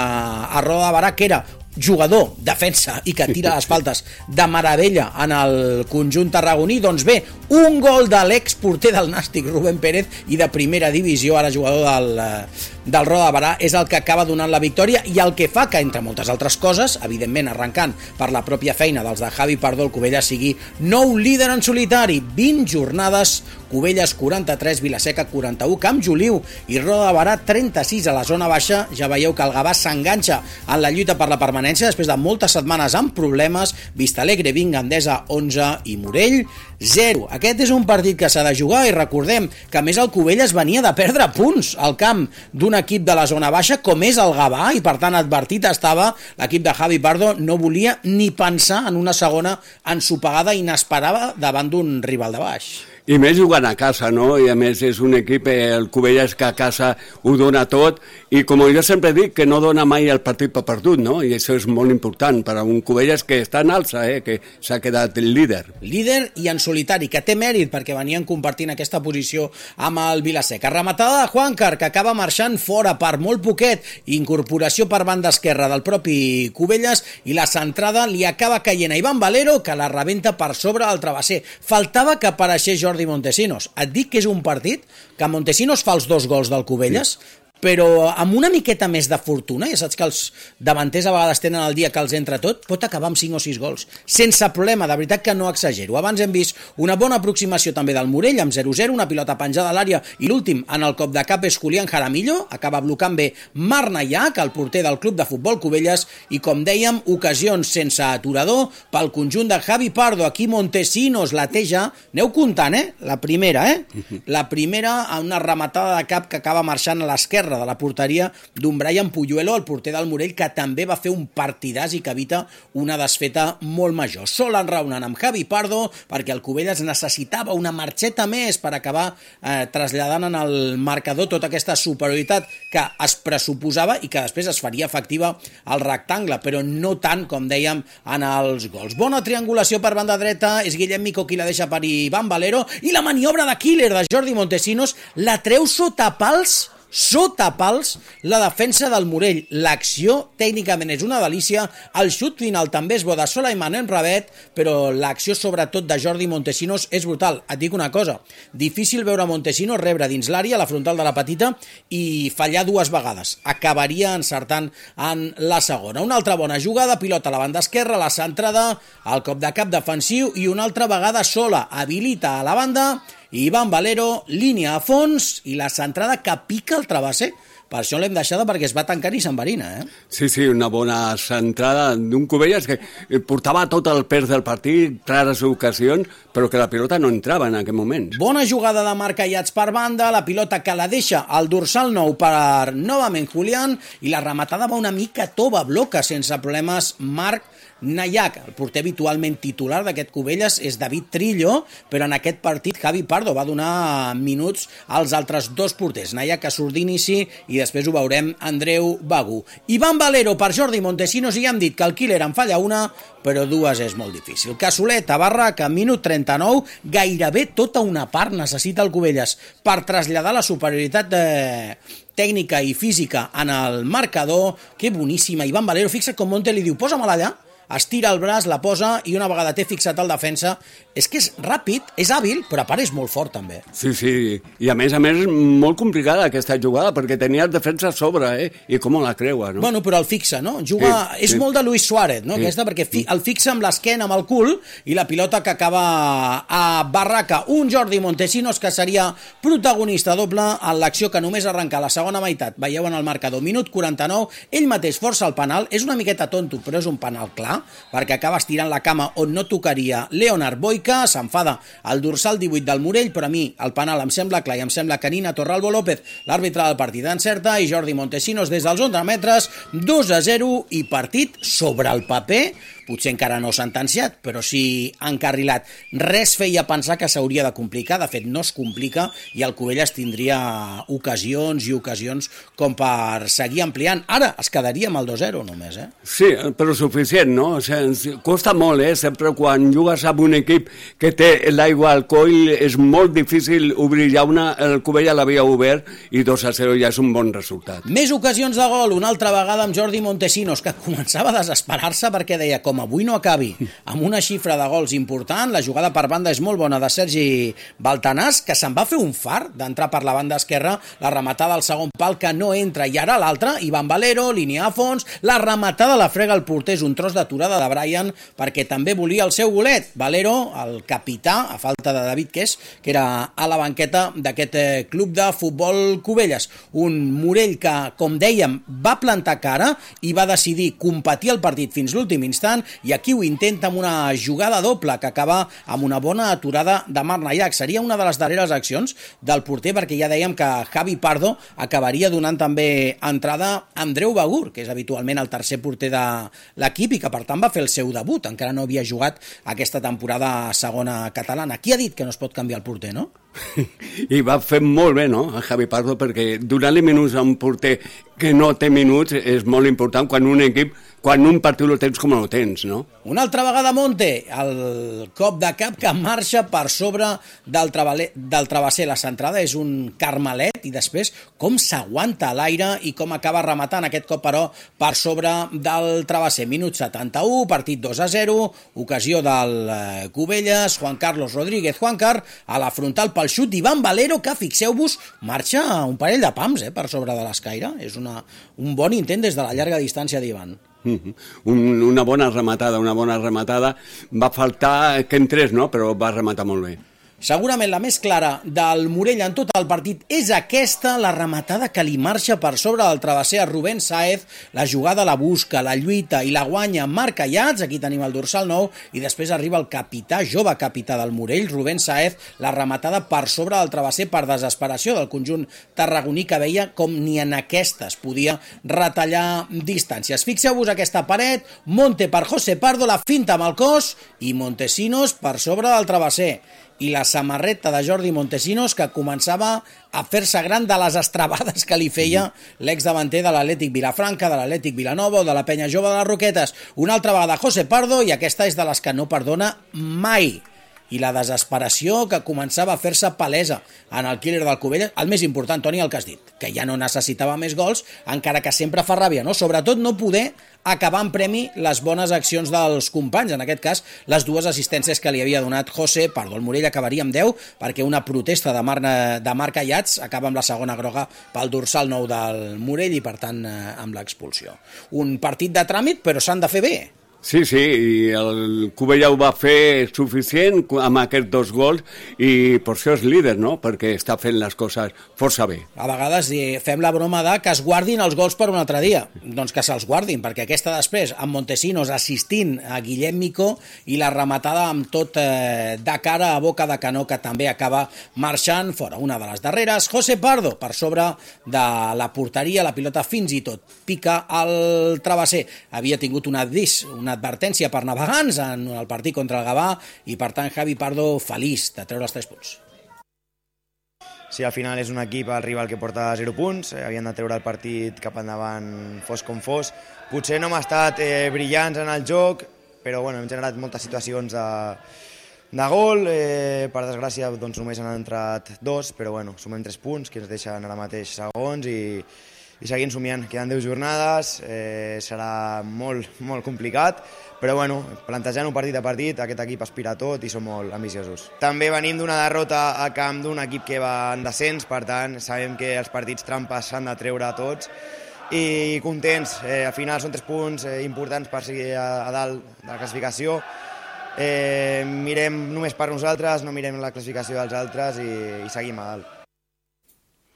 a Roda de Barà, que era jugador, defensa i que tira les faltes de meravella en el conjunt tarragoní. Doncs bé, un gol de l'exporter del Nàstic, Rubén Pérez, i de primera divisió, ara jugador del, del Roda de Barà, és el que acaba donant la victòria, i el que fa que, entre moltes altres coses, evidentment arrencant per la pròpia feina dels de Javi Pardo, el Cubelles sigui nou líder en solitari, vint jornades, Cubelles quaranta-tres, Vilaseca quaranta-u, Camp Juliu i Roda de Barà trenta-sis a la zona baixa. Ja veieu que el Gavà s'enganxa en la lluita per la permanència després de moltes setmanes amb problemes. Vistalegre vint, Gandesa onze i Morell zero. Aquest és un partit que s'ha de jugar, i recordem que a més el Cubelles venia de perdre punts al camp d'un equip de la zona baixa com és el Gavà, i per tant advertit estava l'equip de Javi Pardo, no volia ni pensar en una segona ensopegada inesperada davant d'un rival de baix. I més jugant a casa, no? I a més és un equip, el Cubelles, que a casa ho dona tot, i com jo sempre dic, que no dona mai el partit per perdut, no? I això és molt important per a un Cubelles que està en alça, eh? Que s'ha quedat el líder. Líder i en solitari, que té mèrit perquè venien compartint aquesta posició amb el Vilaseca. Rematada de Juancar, que acaba marxant fora per molt poquet, incorporació per banda esquerra del propi Cubelles, i la centrada li acaba caient a Ivan Valero, que la rebenta per sobre el travesser. Faltava que apareixés Jordi Jordi Montesinos. Et dic que és un partit que Montesinos fa els dos gols del Cubelles, sí, però amb una miqueta més de fortuna, ja saps que els davanters a vegades tenen el dia que els entra tot, pot acabar amb cinc o sis gols, sense problema, de veritat que no exagero. Abans hem vist una bona aproximació també del Morell, amb zero zero, una pilota penjada a l'àrea, i l'últim en el cop de cap és Julián Jaramillo, acaba blocant bé Marc Naiac, el porter del Club de Futbol Cubelles, i com dèiem, ocasions sense aturador pel conjunt de Javi Pardo. Aquí Montesinos la té ja, aneu comptant, eh? La primera, eh? La primera, una rematada de cap que acaba marxant a l'esquerra esquerra de la porteria d'un Brian Puyuelo, el porter del Morell, que també va fer un partidàs i que evita una desfeta molt major. Sol enraonant amb Javi Pardo perquè el Cubelles necessitava una marxeta més per acabar eh, traslladant en el marcador tota aquesta superioritat que es pressuposava i que després es faria efectiva al rectangle, però no tant, com dèiem, en els gols. Bona triangulació per banda dreta, és Guillem Mico qui la deixa per Iván Valero, i la maniobra de killer de Jordi Montesinos la treu sota pals, sota pals, la defensa del Morell. L'acció tècnicament és una delícia, el xut final també és bo de Solaiman en Rabet, però l'acció sobretot de Jordi Montesinos és brutal. Et dic una cosa, difícil veure Montesinos rebre dins l'àrea, la frontal de la petita, i fallar dues vegades. Acabaria encertant en la segona. Una altra bona jugada, pilota a la banda esquerra, la centrada, el cop de cap defensiu i una altra vegada sola, habilita a la banda Iván Valero, línia a fons i la centrada que pica el travesser. Per això l'hem deixada, perquè es va tancant i s'enverina, eh? Sí, sí, una bona centrada d'un Cubelles que portava tot el pes del partit, clares ocasions, però que la pilota no entrava en aquell moment. Bona jugada de Marc Ayats per banda, la pilota que la deixa al dorsal nou per novament Julián, i la rematada va una mica tova, bloca sense problemes Marc Nayak. El porter habitualment titular d'aquest Cubelles és David Trillo, però en aquest partit Javi Pardo va donar minuts als altres dos porters. Nayak que surt d'inici i després ho veurem Andreu Bagu. Iván Valero per Jordi Montesinos, i ja hem dit que el killer en falla una, però dues és molt difícil. Casolet a Barraca, minut trenta-nou, gairebé tota una part necessita el Cubelles per traslladar la superioritat de tècnica i física en el marcador. Que boníssima, Iván Valero. Fixa't com Monte li diu, posa-me-la allà, estira el braç, la posa, i una vegada té fixat el defensa, és que és ràpid, és hàbil, però a part és molt fort també. Sí, sí, i a més a més molt complicada aquesta jugada, perquè tenia el defensa a sobre, eh? I com la creua, no? Bueno, però el fixa, no? Juga... Sí, és sí. molt de Luis Suárez, no? Sí. Aquesta, perquè fi... el fixa amb l'esquena, amb el cul, i la pilota que acaba a Barraca. Un Jordi Montesinos que seria protagonista doble en l'acció que només arrenca la segona meitat. Veieu en el marcador, minut quaranta-nou, ell mateix força el penal, és una miqueta tonto, però és un penal clar, perquè acaba estirant la cama on no tocaria Leonard Boica, s'enfada al dorsal divuit del Morell, però a mi el penal em sembla clar i em sembla que Nina Torralbo López, l'àrbitre del partit, encerta, i Jordi Montesinos des dels onze metres, dos a zero, i partit sobre el paper, potser encara no sentenciat, però sí encarrilat. Res feia pensar que s'hauria de complicar, de fet no es complica, i el Cubelles tindria ocasions i ocasions com per seguir ampliant. Ara es quedaria amb el dos a zero només, eh? Sí, però suficient, no? O sigui, costa molt, eh? Sempre quan jugues amb un equip que té l'aigua al coll és molt difícil obrir ja una, el Cubelles l'havia obert i dos a zero ja és un bon resultat. Més ocasions de gol, una altra vegada amb Jordi Montesinos, que començava a desesperar-se perquè deia, com avui no acabi amb una xifra de gols important, la jugada per banda és molt bona de Sergi Baltanàs, que se'n va fer un far d'entrar per la banda esquerra, la rematada al segon pal que no entra, i ara l'altra, Iván Valero, línia a fons, la rematada la frega el porter, és un tros d'aturada de Brian, perquè també volia el seu golet. Valero, el capità, a falta de David Kes, que era a la banqueta d'aquest club de futbol Cubelles. Un Morell que, com dèiem, va plantar cara i va decidir competir el partit fins l'últim instant, i aquí ho intenta amb una jugada doble que acaba amb una bona aturada de Marc Nayak. Seria una de les darreres accions del porter, perquè ja dèiem que Javi Pardo acabaria donant també entrada a Andreu Bagur, que és habitualment el tercer porter de l'equip i que per tant va fer el seu debut, encara no havia jugat aquesta temporada a segona catalana. Qui ha dit que no es pot canviar el porter, no? I va fer molt bé, no?, a Javi Pardo, perquè donar-li minuts a un porter que no té minuts és molt important quan un equip, quan un partit lo tens com no tens, no? Una altra vegada Monte, el cop de cap que marxa per sobre del, travaler, del travesser. La centrada és un carmelet, i després com s'aguanta a l'aire i com acaba rematant aquest cop, però, per sobre del travesser. Minut setanta-u, partit dos a zero, ocasió del Cubelles, Juan Carlos Rodríguez Juancar, a la frontal pel xut d'Iván Valero, que, fixeu-vos, marxa un parell de pams eh, per sobre de l'escaire. És una, un bon intent des de la llarga distància d'Iván. Mm-hmm. Un, una bona rematada, una bona rematada. Va faltar que entrés, no?, però va rematar molt bé. Segurament la més clara del Morell en tot el partit és aquesta, la rematada que li marxa per sobre del travesser a Rubén Sáez, la jugada la busca, la lluita i la guanya Marc Ayats, aquí tenim el dorsal nou, i després arriba el capità, jove capità del Morell, Rubén Sáez, la rematada per sobre del travesser per desesperació del conjunt tarragoní que veia com ni en aquesta es podia retallar distàncies. Fixeu-vos aquesta paret, Monte per José Pardo, la finta amb el cos i Montesinos per sobre del travesser. I la samarreta de Jordi Montesinos que començava a fer-se gran de les estrabades que li feia l'exdavanter de l'Atlètic Vilafranca, de l'Atlètic Vilanova o de la Penya Jove de les Roquetes. Una altra vegada José Pardo, i aquesta és de les que no perdona mai. I la desesperació que començava a fer-se palesa en el killer del Cubelles. El més important, Toni, el que has dit, que ja no necessitava més gols, encara que sempre fa ràbia, no? Sobretot no poder acabar en premi les bones accions dels companys, en aquest cas les dues assistències que li havia donat José Pardo. El Morell acabaria amb deu perquè una protesta de, Mar de Marc Ayats acaba amb la segona groga pel dorsal nou del Morell i per tant amb l'expulsió. Un partit de tràmit, però s'han de fer bé. Sí, sí, i el Cubella ho va fer suficient amb aquests dos gols i per això és líder, no? Perquè està fent les coses força bé. A vegades fem la broma de que es guardin els gols per un altre dia. Doncs que se'ls guardin, perquè aquesta després, amb Montesinos assistint a Guillem Micó i la rematada amb tot eh, de cara a boca de canó que també acaba marxant fora. Una de les darreres, José Pardo, per sobre de la porteria, la pilota fins i tot pica al travesser. Havia tingut una dis, una advertència per navegants en el partit contra el Gavà i per tant Javi Pardo feliç de treure els tres punts. Sí, al final és un equip, el rival que porta zero punts, eh, havien de treure el partit cap endavant fos com fos. Potser no hem estat eh, brillants en el joc, però bueno, hem generat moltes situacions de, de gol, eh, per desgràcia doncs, només han entrat dos, però bueno, sumem tres punts que ens deixen ara mateix segons i i seguim somiant. Queden deu jornades, eh, serà molt, molt complicat, però bueno, plantejant un partit a partit, aquest equip aspira a tot i som molt ambiciosos. També venim d'una derrota a camp d'un equip que va en descens, per tant, sabem que els partits trampes s'han de treure a tots i contents, eh, al final són tres punts eh, importants per seguir a, a dalt de la classificació. Eh, mirem només per nosaltres, no mirem la classificació dels altres i, i seguim a dalt.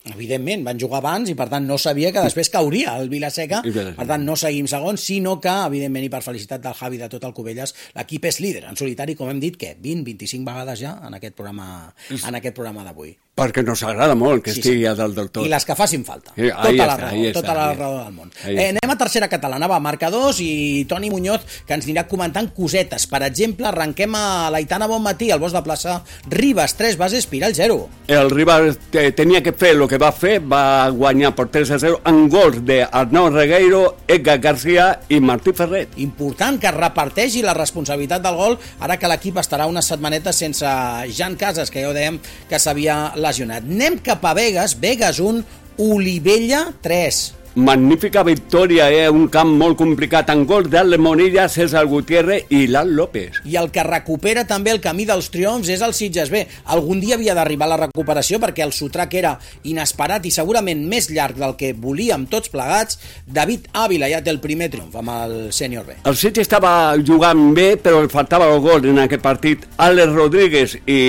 Evidentment, van jugar abans i per tant no sabia que després cauria el Vilaseca, per tant no seguim segons, sinó que, evidentment, i per felicitat del Javi de tot el Cubelles, l'equip és líder en solitari, com hem dit, què? vint vint-i-cinc vegades ja en aquest programa, en aquest programa d'avui. Perquè nos agrada molt que sí, estigui sí. a dalt del tot. I les que facin falta. Sí, tota la està, raó, està, tota la raó del món. Eh, anem a tercera catalana, va, marcadors, i Toni Muñoz, que ens anirà comentant cosetes. Per exemple, arrenquem a l'Aitana Bonmatí, al Bosc de Plaça, Ribes, tres bases, Piral, zero. El Ribes tenia que fer el que va fer, va guanyar per tres a zero en gols d'Arnau Regueiro, Edgar García i Martí Ferret. Important que es reparteixi la responsabilitat del gol, ara que l'equip estarà unes setmanetes sense Jan Casas, que ja ho dèiem que s'havia lesionat. Anem cap a Begues, Begues un, Olivella tres. Magnífica victòria, eh? Un camp molt complicat en gols d'Ale Monilla, César Gutiérrez i Lan López. I el que recupera també el camí dels triomfs és el Sitges B. Algun dia havia d'arribar la recuperació perquè el sotrac era inesperat i segurament més llarg del que volíem tots plegats. David Ávila ja té el primer triomf amb el sènior B. El Sitges estava jugant bé, però el faltava el gol en aquest partit. Alex Rodríguez i,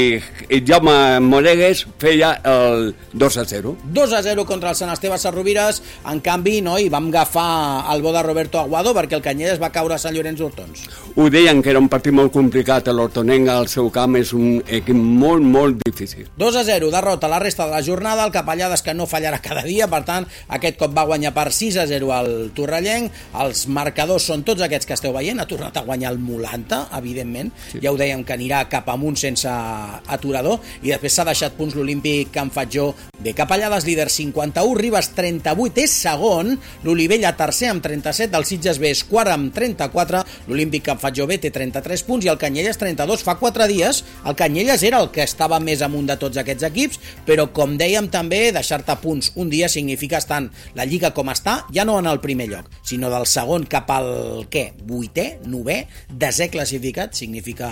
i Jaume Moregues feia el dos a zero. dos a zero contra el Sant Esteve Sarrovires. En canvi, no, i vam agafar el bo de Roberto Aguado perquè el Canyelles va caure a Sant Llorenç d'Hortons. Ho deien que era un partit molt complicat, l'Hortonenga al seu camp és un equip molt, molt difícil. dos a zero, derrota la resta de la jornada, el Capellades que no fallarà cada dia, per tant, aquest cop va guanyar per sis a zero al Torrellenc. Els marcadors són tots aquests que esteu veient, ha tornat a guanyar el Molanta, evidentment, sí. Ja ho dèiem que anirà cap amunt sense aturador, i després s'ha deixat punts l'Olímpic Can Fatjó B. Capellades líder cinquanta-u, Ribes trenta-vuit, és segon, l'Olivella tercer amb trenta-set, el Sitges B és quart amb trenta-quatre, l'Olímpic Can Fatjó B té trenta-tres punts i el Canyelles trenta-dos. Fa quatre dies el Canyelles era el que estava més amunt de tots aquests equips, però com dèiem també, deixar-te punts un dia significa estar en la Lliga com està, ja no en el primer lloc, sinó del segon cap al, què, vuitè, novè, desè classificat, significa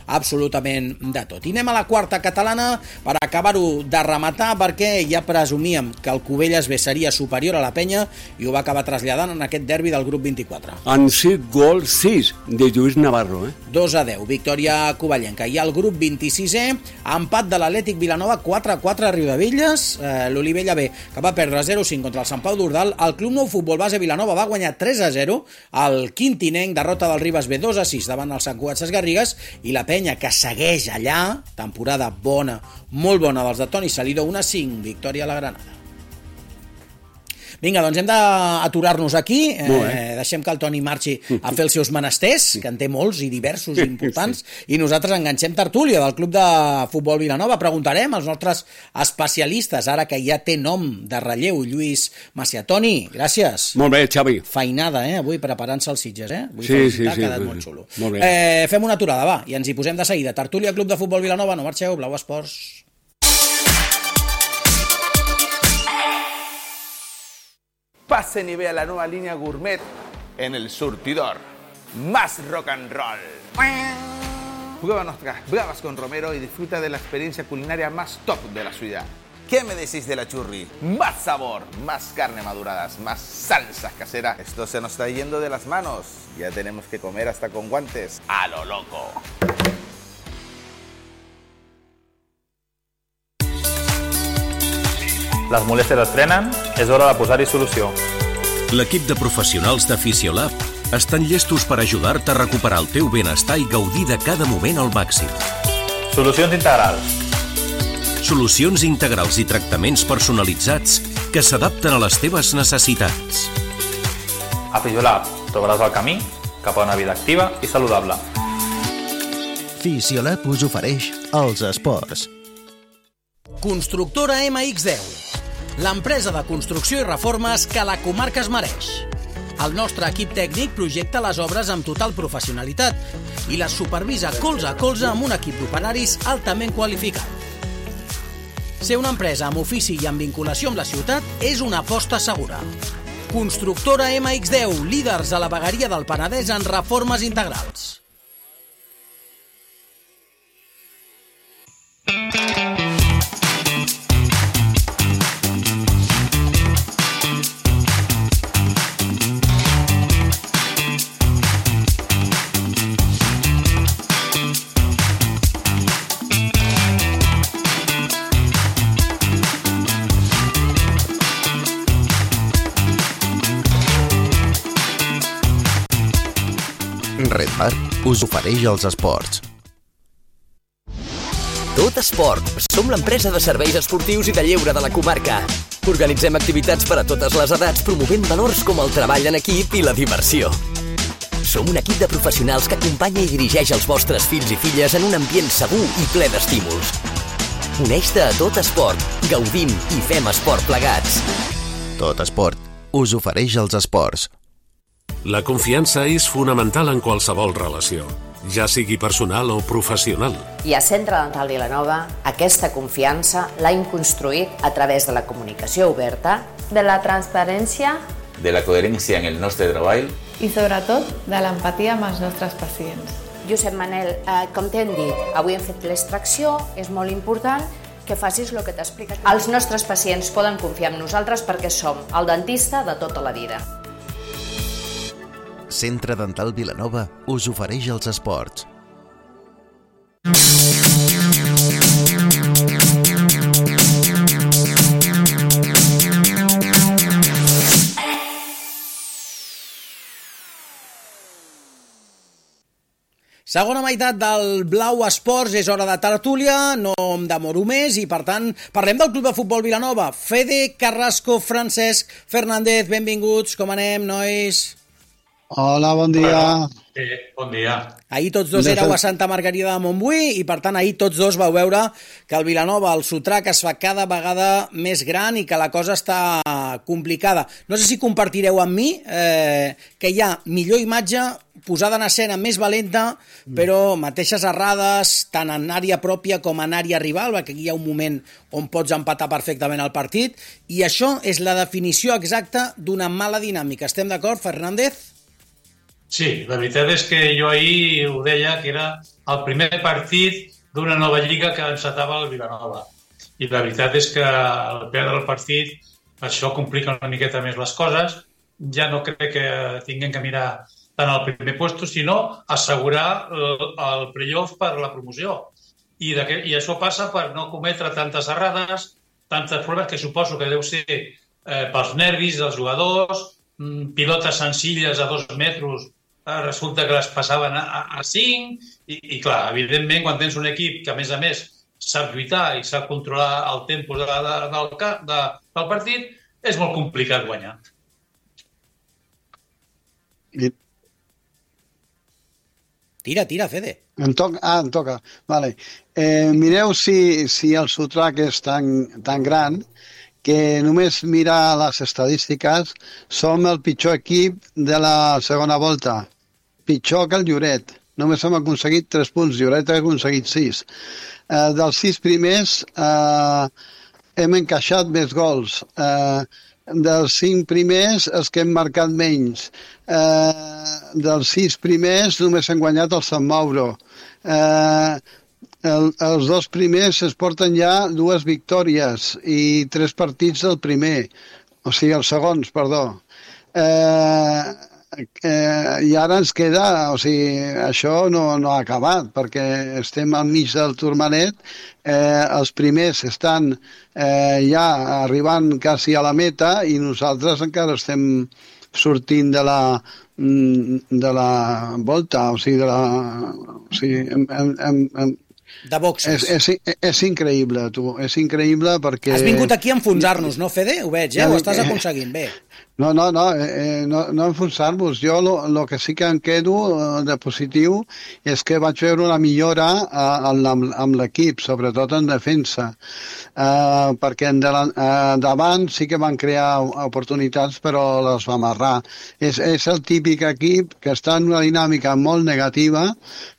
absolutament de tot. I anem a la quarta catalana per acabar-ho de rematar, perquè ja presumíem que el Cubelles B seria superior a la Penya i ho va acabar traslladant en aquest derbi del grup vint-i-quatre. En sis gols, sis, de Lluís Navarro. Eh? dos a deu, victòria covellenca. I el grup vint-i-sisè, empat de l'Atlètic Vilanova, quatre a quatre a Riudebitlles, eh, l'Olivella B, que va perdre zero a cinc contra el Sant Pau d'Ordal. El Club Nou Futbol Base Vilanova va guanyar tres a zero, el Quintinenc, derrota del Ribes B dos a sis davant el Sant Cugat Ses Garrigues, i la Penya, que segueix allà, temporada bona, molt bona dels de Toni Salido, un a cinc, victòria a la Granada. Vinga, doncs hem d'aturar-nos aquí, eh, deixem que el Toni marxi a fer els seus menesters, que en té molts i diversos i importants, i nosaltres enganxem tertúlia del Club de Futbol Vilanova. Preguntarem als nostres especialistes, ara que ja té nom de relleu, Lluís Macià. Toni, gràcies. Molt bé, Xavi. Feinada, eh, avui preparant-se els Sitges, eh? Vull sí, sí, sí. Ha quedat sí, molt xulo. Molt bé. Eh, fem una aturada, va, i ens hi posem de seguida. Tertúlia Club de Futbol Vilanova, no marxeu, Blau Esports. Pasen y vea la nueva línea gourmet en El Surtidor. Más rock and roll. Prueba nuestras bravas con Romero y disfruta de la experiencia culinaria más top de la ciudad. ¿Qué me decís de la churri? Más sabor, más carne maduradas, más salsas caseras. Esto se nos está yendo de las manos. Ya tenemos que comer hasta con guantes. A lo loco. Les molèsties es frenen, és hora de posar-hi solució. L'equip de professionals de Fisiolab estan llestos per ajudar-te a recuperar el teu benestar i gaudir de cada moment al màxim. Solucions integrals. Solucions integrals i tractaments personalitzats que s'adapten a les teves necessitats. A Fisiolab trobaràs el camí cap a una vida activa i saludable. Fisiolab us ofereix els esports. Constructora ema ics deu, l'empresa de construcció i reformes que la comarca es mereix. El nostre equip tècnic projecta les obres amb total professionalitat i les supervisa colze a colze amb un equip d'operaris altament qualificat. Ser una empresa amb ofici i amb vinculació amb la ciutat és una aposta segura. Constructora ema ics deu, líders a la vegueria del Penedès en reformes integrals. Red Bar us ofereix els esports. Tot Esport. Som l'empresa de serveis esportius i de lleure de la comarca. Organitzem activitats per a totes les edats, promovent valors com el treball en equip i la diversió. Som un equip de professionals que acompanya i dirigeix els vostres fills i filles en un ambient segur i ple d'estímuls. Uneix-te a Tot Esport. Gaudim i fem esport plegats. Tot Esport us ofereix els esports. La confiança és fonamental en qualsevol relació, ja sigui personal o professional. I a Centre Dental Vilanova, aquesta confiança l'hem construït a través de la comunicació oberta, de la transparència, de la coherència en el nostre treball i, sobretot, de l'empatia amb els nostres pacients. Josep Manel, eh, com t'hem dit, avui hem fet l'extracció, és molt important que facis el que t'ha explicat. Els nostres pacients poden confiar en nosaltres perquè som el dentista de tota la vida. Centre Dental Vilanova us ofereix els esports. Segona meitat del Blau Esports, és hora de tertúlia, no em demoro més i per tant parlem del Club de Futbol Vilanova. Fede, Carrasco, Francesc, Fernández, benvinguts, com anem, nois? Hola, bon dia. Sí, bon dia. Ahir tots dos éreu a Santa Margarida de Montbui i, per tant, ahir tots dos vau veure que el Vilanova, el sotrac, es fa cada vegada més gran i que la cosa està complicada. No sé si compartireu amb mi eh, que hi ha millor imatge posada en escena més valenta, però mateixes errades, tant en àrea pròpia com en àrea rival, perquè aquí hi ha un moment on pots empatar perfectament el partit, i això és la definició exacta d'una mala dinàmica. Estem d'acord, Fernández? Sí, la veritat és que jo ahir ho deia que era el primer partit d'una nova lliga que encetava el Vilanova. I la veritat és que al perdre el partit això complica una miqueta més les coses. Ja no crec que tinguem que mirar tant al primer puesto, sinó assegurar el, el playoff per la promoció. I, de que, I això passa per no cometre tantes errades, tantes problemes que suposo que deu ser eh, pels nervis dels jugadors, pilotes senzilles a dos metres, resulta que les passaven a, a cinc, i, i clar, evidentment, quan tens un equip que, a més a més, sap lluitar i sap controlar el tempo de, de, del, de, del partit, és molt complicat guanyar. I... Tira, tira, Fede. Em toca? Ah, em toca. Vale. Eh, mireu si, si el sotrac és tan, tan gran que només mirar les estadístiques som el pitjor equip de la segona volta. Pitjor que el Lloret. Només hem aconseguit tres punts. Lloret ha aconseguit sis. Eh, dels sis primers eh, hem encaixat més gols. Eh, dels cinc primers els que hem marcat menys. Eh, dels sis primers només hem guanyat el Sant Mauro. Eh, El, els dos primers es porten ja dues victòries i tres partits del primer, o sigui, els segons, perdó. Eh, eh, I ara ens queda, o sigui, això no, no ha acabat, perquè estem al mig del turmanet, eh, els primers estan eh, ja arribant quasi a la meta i nosaltres encara estem sortint de la de la volta, o sigui, de la... O sigui, hem, hem, hem, de boxes. És, és, és increïble, tu, és increïble perquè... Has vingut aquí a enfonsar-nos, no, Fede? Ho veig, eh? Ho estàs aconseguint bé. No, no, no, eh, no, no enfonsar-vos. Jo el que sí que em quedo de positiu és que vaig veure una millora eh, amb, amb l'equip, sobretot en defensa, eh, perquè en davant, eh, davant sí que van crear oportunitats però les va amarrar. És, és el típic equip que està en una dinàmica molt negativa,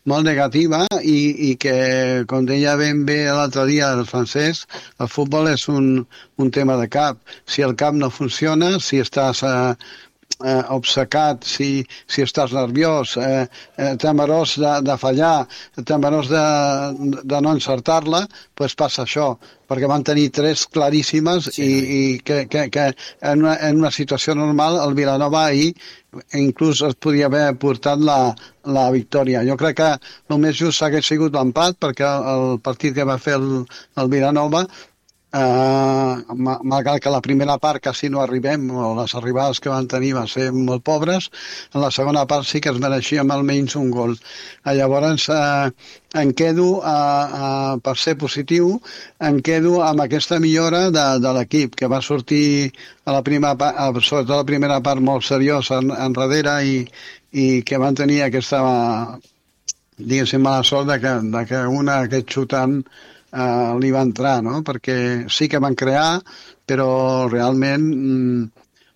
molt negativa i, i que, com deia ben bé l'altre dia el francès, el futbol és un, un tema de cap. Si el cap no funciona, si estàs eh, eh, obcecat, si, si estàs nerviós, eh, eh, temerós de, de fallar, temerós de, de no encertar-la, doncs passa això, perquè van tenir tres claríssimes sí. i, i que, que, que en, una, en una situació normal el Vilanova ahir inclús es podia haver portat la, la victòria. Jo crec que el més just hagués sigut l'empat, perquè el partit que va fer el, el Vilanova, eh, malgrat que la primera part quasi no arribem, o les arribades que van tenir van ser molt pobres, en la segona part sí que es mereixíem almenys un gol. Eh, llavors, eh, em quedo, eh, eh, per ser positiu, em quedo amb aquesta millora de, de l'equip, que va sortir a la primera part, sobretot a la primera part molt seriosa en, enrere i, i que van tenir aquesta, diguéssim, mala sort de que, de que una, aquest xutant, eh, li va entrar, no? Perquè sí que van crear, però realment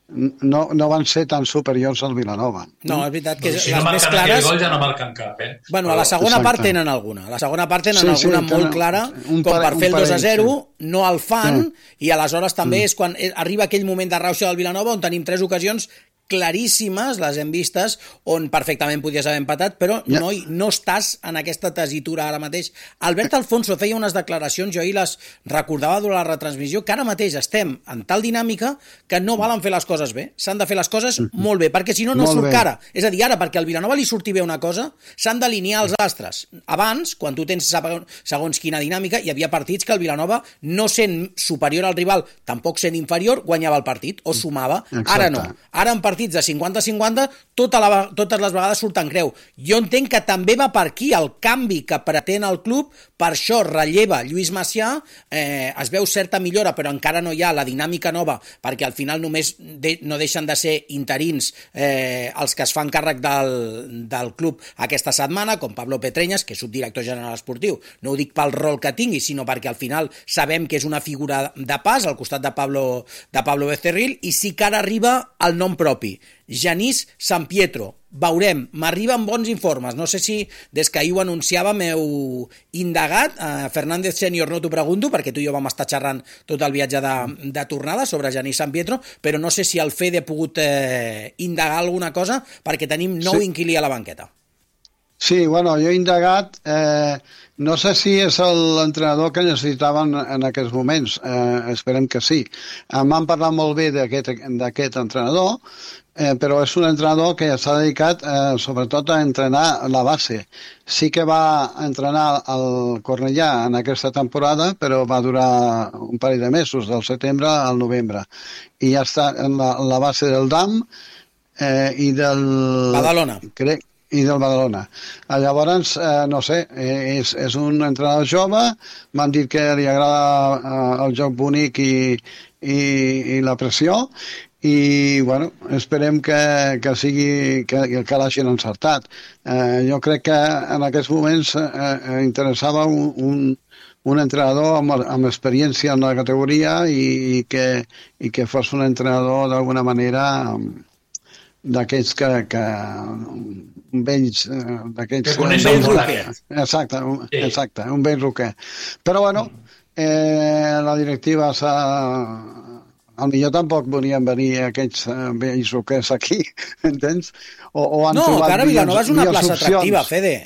no, no van ser tan superiors al Vilanova. No, és veritat que si les no més marquen clares... aquell gol ja no marquen cap, eh? Bueno, a la segona Exacte. part tenen alguna. A la segona part tenen Sí, alguna sí, molt tenen clara, un com pare- per fer un el dos a parell, zero, sí. no el fan, Sí. i aleshores també Mm. és quan arriba aquell moment de rauxa del Vilanova on tenim tres ocasions claríssimes, les hem vistes, on perfectament podies haver empatat, però Ja. no, no estàs en aquesta tesitura ara mateix. Albert Alfonso feia unes declaracions, jo ahir les recordava durant la retransmissió, que ara mateix estem en tal dinàmica que no valen fer les coses bé. S'han de fer les coses molt bé, perquè si no, no Molt surt bé. cara. És a dir, ara, perquè al Vilanova li surti bé una cosa, s'han d'alinear els astres. Abans, quan tu tens segons quina dinàmica, hi havia partits que el Vilanova, no sent superior al rival, tampoc sent inferior, guanyava el partit, o sumava. Exacte. Ara no. Ara en partits partits de cinquanta cinquanta, tota la, totes les vegades surt en creu. Jo entenc que també va per aquí el canvi que pretén el club, per això relleva Lluís Macià, eh, es veu certa millora, però encara no hi ha la dinàmica nova, perquè al final només de, no deixen de ser interins eh, els que es fan càrrec del, del club aquesta setmana, com Pablo Petreñas, que és subdirector general esportiu. No ho dic pel rol que tingui, sinó perquè al final sabem que és una figura de pas al costat de Pablo, de Pablo Becerril, i sí que ara arriba el nom propi, Genís San Pietro. Veurem, m'arriben bons informes, no sé si des que ahir ho anunciava m'heu indagat, eh, Fernández Sènior no t'ho pregunto perquè tu i jo vam estar xerrant tot el viatge de, de tornada sobre Genís San Pietro, però no sé si el Fede ha pogut eh, indagar alguna cosa perquè tenim nou sí. inquilí a la banqueta. Sí, bueno, jo he indagat, eh, no sé si és l'entrenador que necessitaven en aquests moments, eh, esperem que sí. Eh, M'han parlat molt bé d'aquest entrenador, eh, però és un entrenador que s'ha dedicat eh, sobretot a entrenar la base. Sí que va entrenar el Cornellà en aquesta temporada, però va durar un parell de mesos, del setembre al novembre. I ja està en la, en la base del D A M eh, i del... Badalona. Crec, i del Badalona. Llavors, eh, no sé, és, és un entrenador jove, m'han dit que li agrada eh, el joc bonic i, i, i la pressió, i bueno, esperem que, que sigui que, que l'hagin encertat. Eh, jo crec que en aquests moments eh, interessava un, un, un entrenador amb, amb experiència en la categoria i, i, que, i que fos un entrenador d'alguna manera d'aquells que, que un vells d'aquells que coneixen molt aquest. Exacte, un, sí. exacte, un vell roquer. Però bueno, eh, la directiva s'ha... Potser tampoc volien venir aquests vells roquers aquí, entens? O, o han no, que ara Vilanova és una plaça opcions. atractiva, Fede.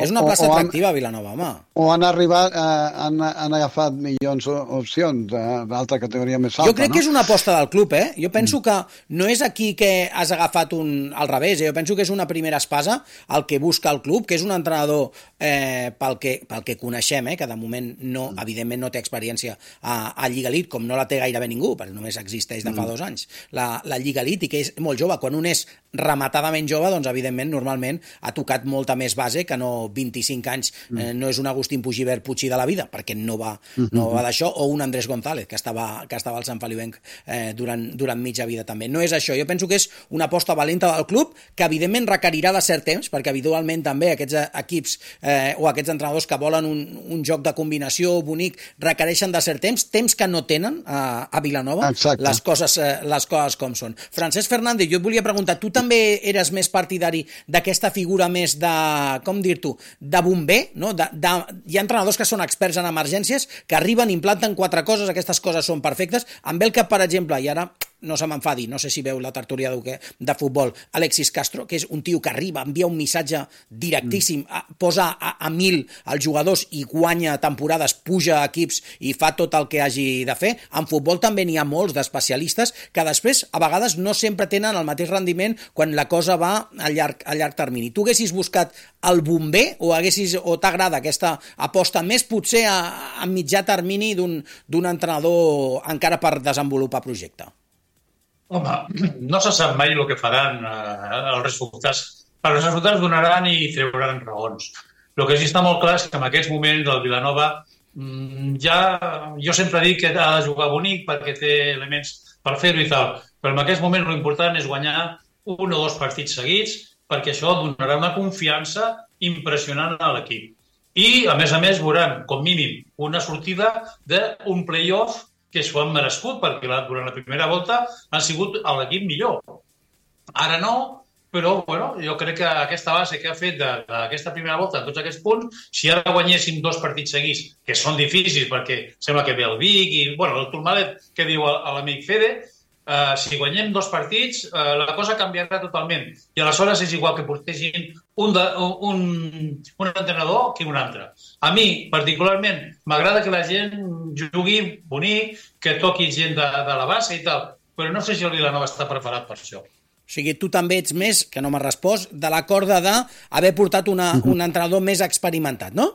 És una plaça o, o atractiva, han, Vilanova, home. O han arribat, eh, han, han agafat milions d'opcions d'altra categoria més alta, Jo crec no? que és una aposta del club, eh? Jo penso mm. que no és aquí que has agafat un al revés, eh? Jo penso que és una primera espasa el que busca el club, que és un entrenador eh, pel, que, pel que coneixem, eh? Que de moment, no, mm. evidentment, no té experiència a, a Lliga Elite, com no la té gairebé ningú, perquè només existeix de fa mm. dos anys, la, la Lliga Elite, i que és molt jove. Quan un és rematadament jove, doncs, evidentment, normalment ha tocat molta més base que no vint-i-cinc anys, eh, no és un Agustín Pugibert Puig de la vida, perquè no va, no va d'això, o un Andrés González, que estava, que estava al Sant Feliuenc eh, durant, durant mitja vida també. No és això, jo penso que és una aposta valenta del club, que evidentment requerirà de cert temps, perquè habitualment també aquests equips eh, o aquests entrenadors que volen un, un joc de combinació bonic requereixen de cert temps, temps que no tenen a, a Vilanova, les coses, eh, les coses com són. Francesc Fernández, jo et volia preguntar, tu també eres més partidari d'aquesta figura més de, com dir-t'ho, de bomber, no? De, de, hi ha entrenadors que són experts en emergències, que arriben, implanten quatre coses, aquestes coses són perfectes. Em ve el cap, per exemple, i ara no se m'enfadi, no sé si veu la tertúlia de, de futbol, Alexis Castro, que és un tio que arriba, envia un missatge directíssim, a, posa a, a mil els jugadors i guanya temporades, puja equips i fa tot el que hagi de fer. En futbol també n'hi ha molts d'especialistes que després, a vegades, no sempre tenen el mateix rendiment quan la cosa va a llarg, a llarg termini. Tu haguessis buscat el bomber o, haguessis, o t'agrada aquesta aposta més potser a, a mitjà termini d'un entrenador encara per desenvolupar projecte? Home, no se sap mai el que faran eh, els resultats. Els resultats donaran i trauran raons. El que sí està molt clar és que en aquests moments el Vilanova ja, jo sempre dic que ha de jugar bonic perquè té elements per fer-ho i tal, però en aquests moments l'important és guanyar un o dos partits seguits perquè això donarà una confiança impressionant a l'equip. I, a més a més, veuran, com mínim, una sortida d'un play-off que s'ho han merescut, perquè durant la primera volta han sigut l'equip millor. Ara no, però bueno, jo crec que aquesta base que ha fet d'aquesta primera volta, en tots aquests punts, si ara guanyéssim dos partits seguits, que són difícils perquè sembla que ve el Vic i bueno, el Turmalet que diu l'amic Fede, Uh, si guanyem dos partits, uh, la cosa canviarà totalment. I aleshores és igual que portessin un, de, un, un entrenador que un altre. A mi, particularment, m'agrada que la gent jugui bonic, que toqui gent de, de la base i tal, però no sé si el Vilanova està preparat per això. O sigui, tu també ets més, que no m'has respost, de la corda d'haver portat una, uh-huh. un entrenador més experimentat, no?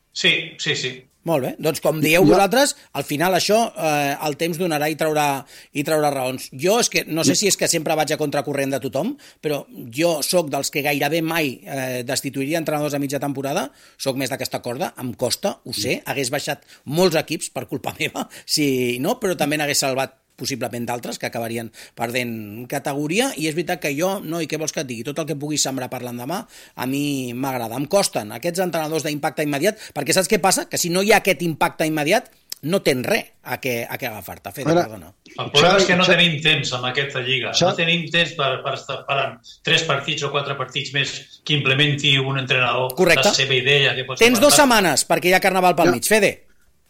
Sí, sí, sí. Molt bé, doncs com dieu vosaltres, al final això eh, el temps donarà i traurà, i traurà raons. Jo és que, no sé si és que sempre vaig a contracorrent de tothom, però jo sóc dels que gairebé mai eh, destituiria entrenadors a mitja temporada, sóc més d'aquesta corda, em costa, ho sé, hagués baixat molts equips per culpa meva, si no, però també n'hagués salvat possiblement d'altres que acabarien perdent categoria, i és veritat que jo, no, i què vols que et digui, tot el que puguis sembrar per l'endemà, a mi m'agrada. Em costen aquests entrenadors d'impacte immediat, perquè saps què passa? Que si no hi ha aquest impacte immediat, no tens res a què, a què agafar-te. Fede, perdona. El problema és que no tenim temps amb aquesta lliga. No tenim temps per, per estar parant tres partits o quatre partits més que implementi un entrenador Correcte. La seva idea. Que tens dues setmanes, perquè hi ha carnaval pel mig. Fede.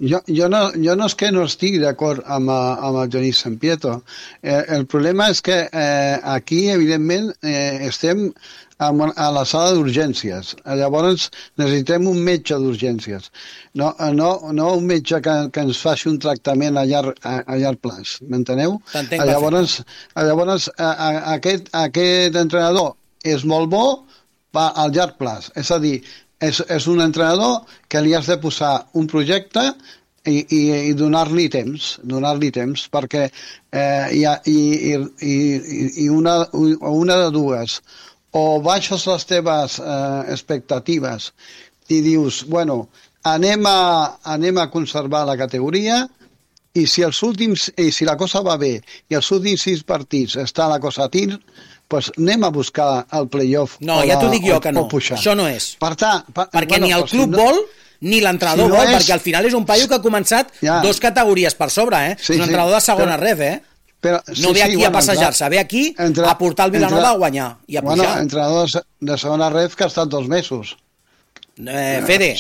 Jo, jo, no, jo no és que no estigui d'acord amb, amb el Genís Sampietro. Eh, el problema és que eh, aquí, evidentment, eh, estem amb, a la sala d'urgències. Llavors necessitem un metge d'urgències. No, no, no un metge que, que ens faci un tractament a llarg, a, a llarg plaç. M'enteneu? Llavors, llavors a, a, aquest, aquest entrenador és molt bo, va al llarg plaç. És a dir, És, és un entrenador que li has de posar un projecte i, i, i donar-li temps, donar-li temps, perquè eh, hi ha, i, i, i una, una de dues, o baixes les teves eh, expectatives i dius, bueno, anem a, anem a conservar la categoria, i si, els últims, i si la cosa va bé i els últims sis partits està la cosa a tir, pues anem a buscar el playoff. No, ja t'ho dic jo que no. Això no és. Per tant, per, perquè bueno, ni el si club no, vol ni l'entrenador si no vol, és, perquè al final és un paio que ha començat ja. dos categories per sobre, eh? Sí, és un entrenador sí, de segona però, ref, eh? Però, sí, no ve aquí sí, a bueno, passejar-se, ve aquí entre, a portar el Vilanova entre, a guanyar i a pujar. Bueno, entrenador de segona ref que ha estat dos mesos. Eh, Fede,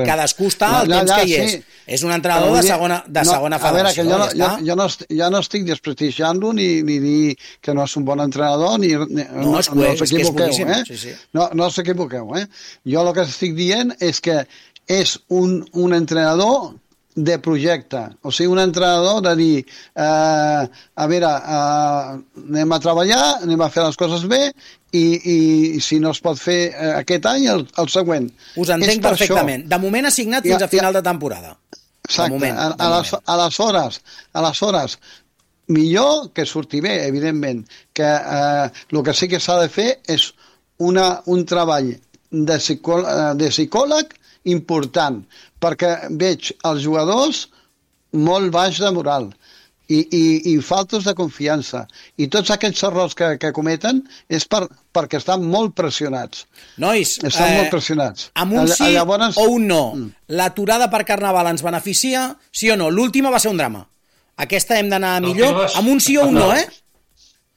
cadascú està al no, temps ja, que hi ja, és. Sí. És un entrenador de segona, de no, segona federació. A veure, que jo, no, ja, jo, jo, no, estic, jo no estic desprestigiant-lo ni, ni dir que no és un bon entrenador, ni, ni, no, no, és no, no us equivoqueu, és eh? sí, sí. No, no us equivoqueu, eh? Jo el que estic dient és que és un, un entrenador de projecte, o sigui, un entrenador de dir, eh, a veure, eh, anem a treballar, anem a fer les coses bé, i, i si no es pot fer eh, aquest any, el, el següent. Us entenc perfectament. Això. De moment ha signat fins ja, a final ja. de temporada. Exacte. Moment, a, a, les, a les hores, a les hores, millor que surti bé, evidentment, que eh, el que sí que s'ha de fer és una, un treball de, psicó, de psicòleg important, perquè veig els jugadors molt baix de moral i, i, i faltos de confiança, i tots aquests errors que, que cometen és per, perquè estan molt pressionats. Nois, estan eh, molt pressionats. Amb un sí Llavors... o un no, mm. l'aturada per Carnaval ens beneficia, sí o no? L'última va ser un drama. Aquesta hem d'anar millor, amb un sí o un no, eh?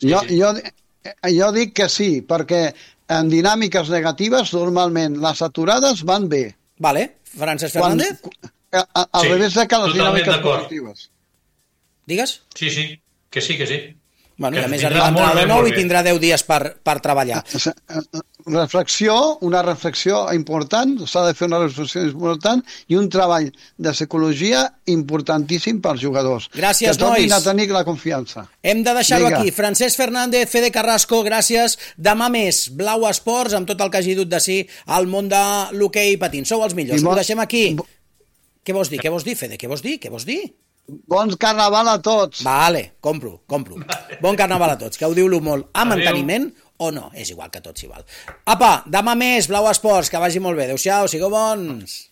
Jo, jo, jo dic que sí, perquè en dinàmiques negatives normalment les aturades van bé. Vale, Francesc Fernández? Quan, a, a, al sí, revés de que les dinàmiques positives. Digues? Sí, sí, que sí, que sí. Bueno, que i a més arriba l'entrenador nou i tindrà deu dies per, per treballar. Reflexió, una reflexió important, s'ha de fer una reflexió important i un treball de psicologia importantíssim pels jugadors. Gràcies, que nois. Que a tenir la confiança. Hem de deixar-ho aquí. Francesc Fernández, Fede Carrasco, gràcies. Demà més, Blau Esports, amb tot el que hagi dut de si al món de l'hoquei patins. Sou els millors. Ho deixem aquí. Què vols dir? Què vols dir, Fede? Què vols dir? Què vols dir? Bon carnaval a tots. Vale, compro, compro. Bon carnaval a tots, que ho diu-lo molt amb enteniment o no, és igual que tots igual. Apa, demà més, Blau Esports, que vagi molt bé. Adéu-siau, sigueu bons.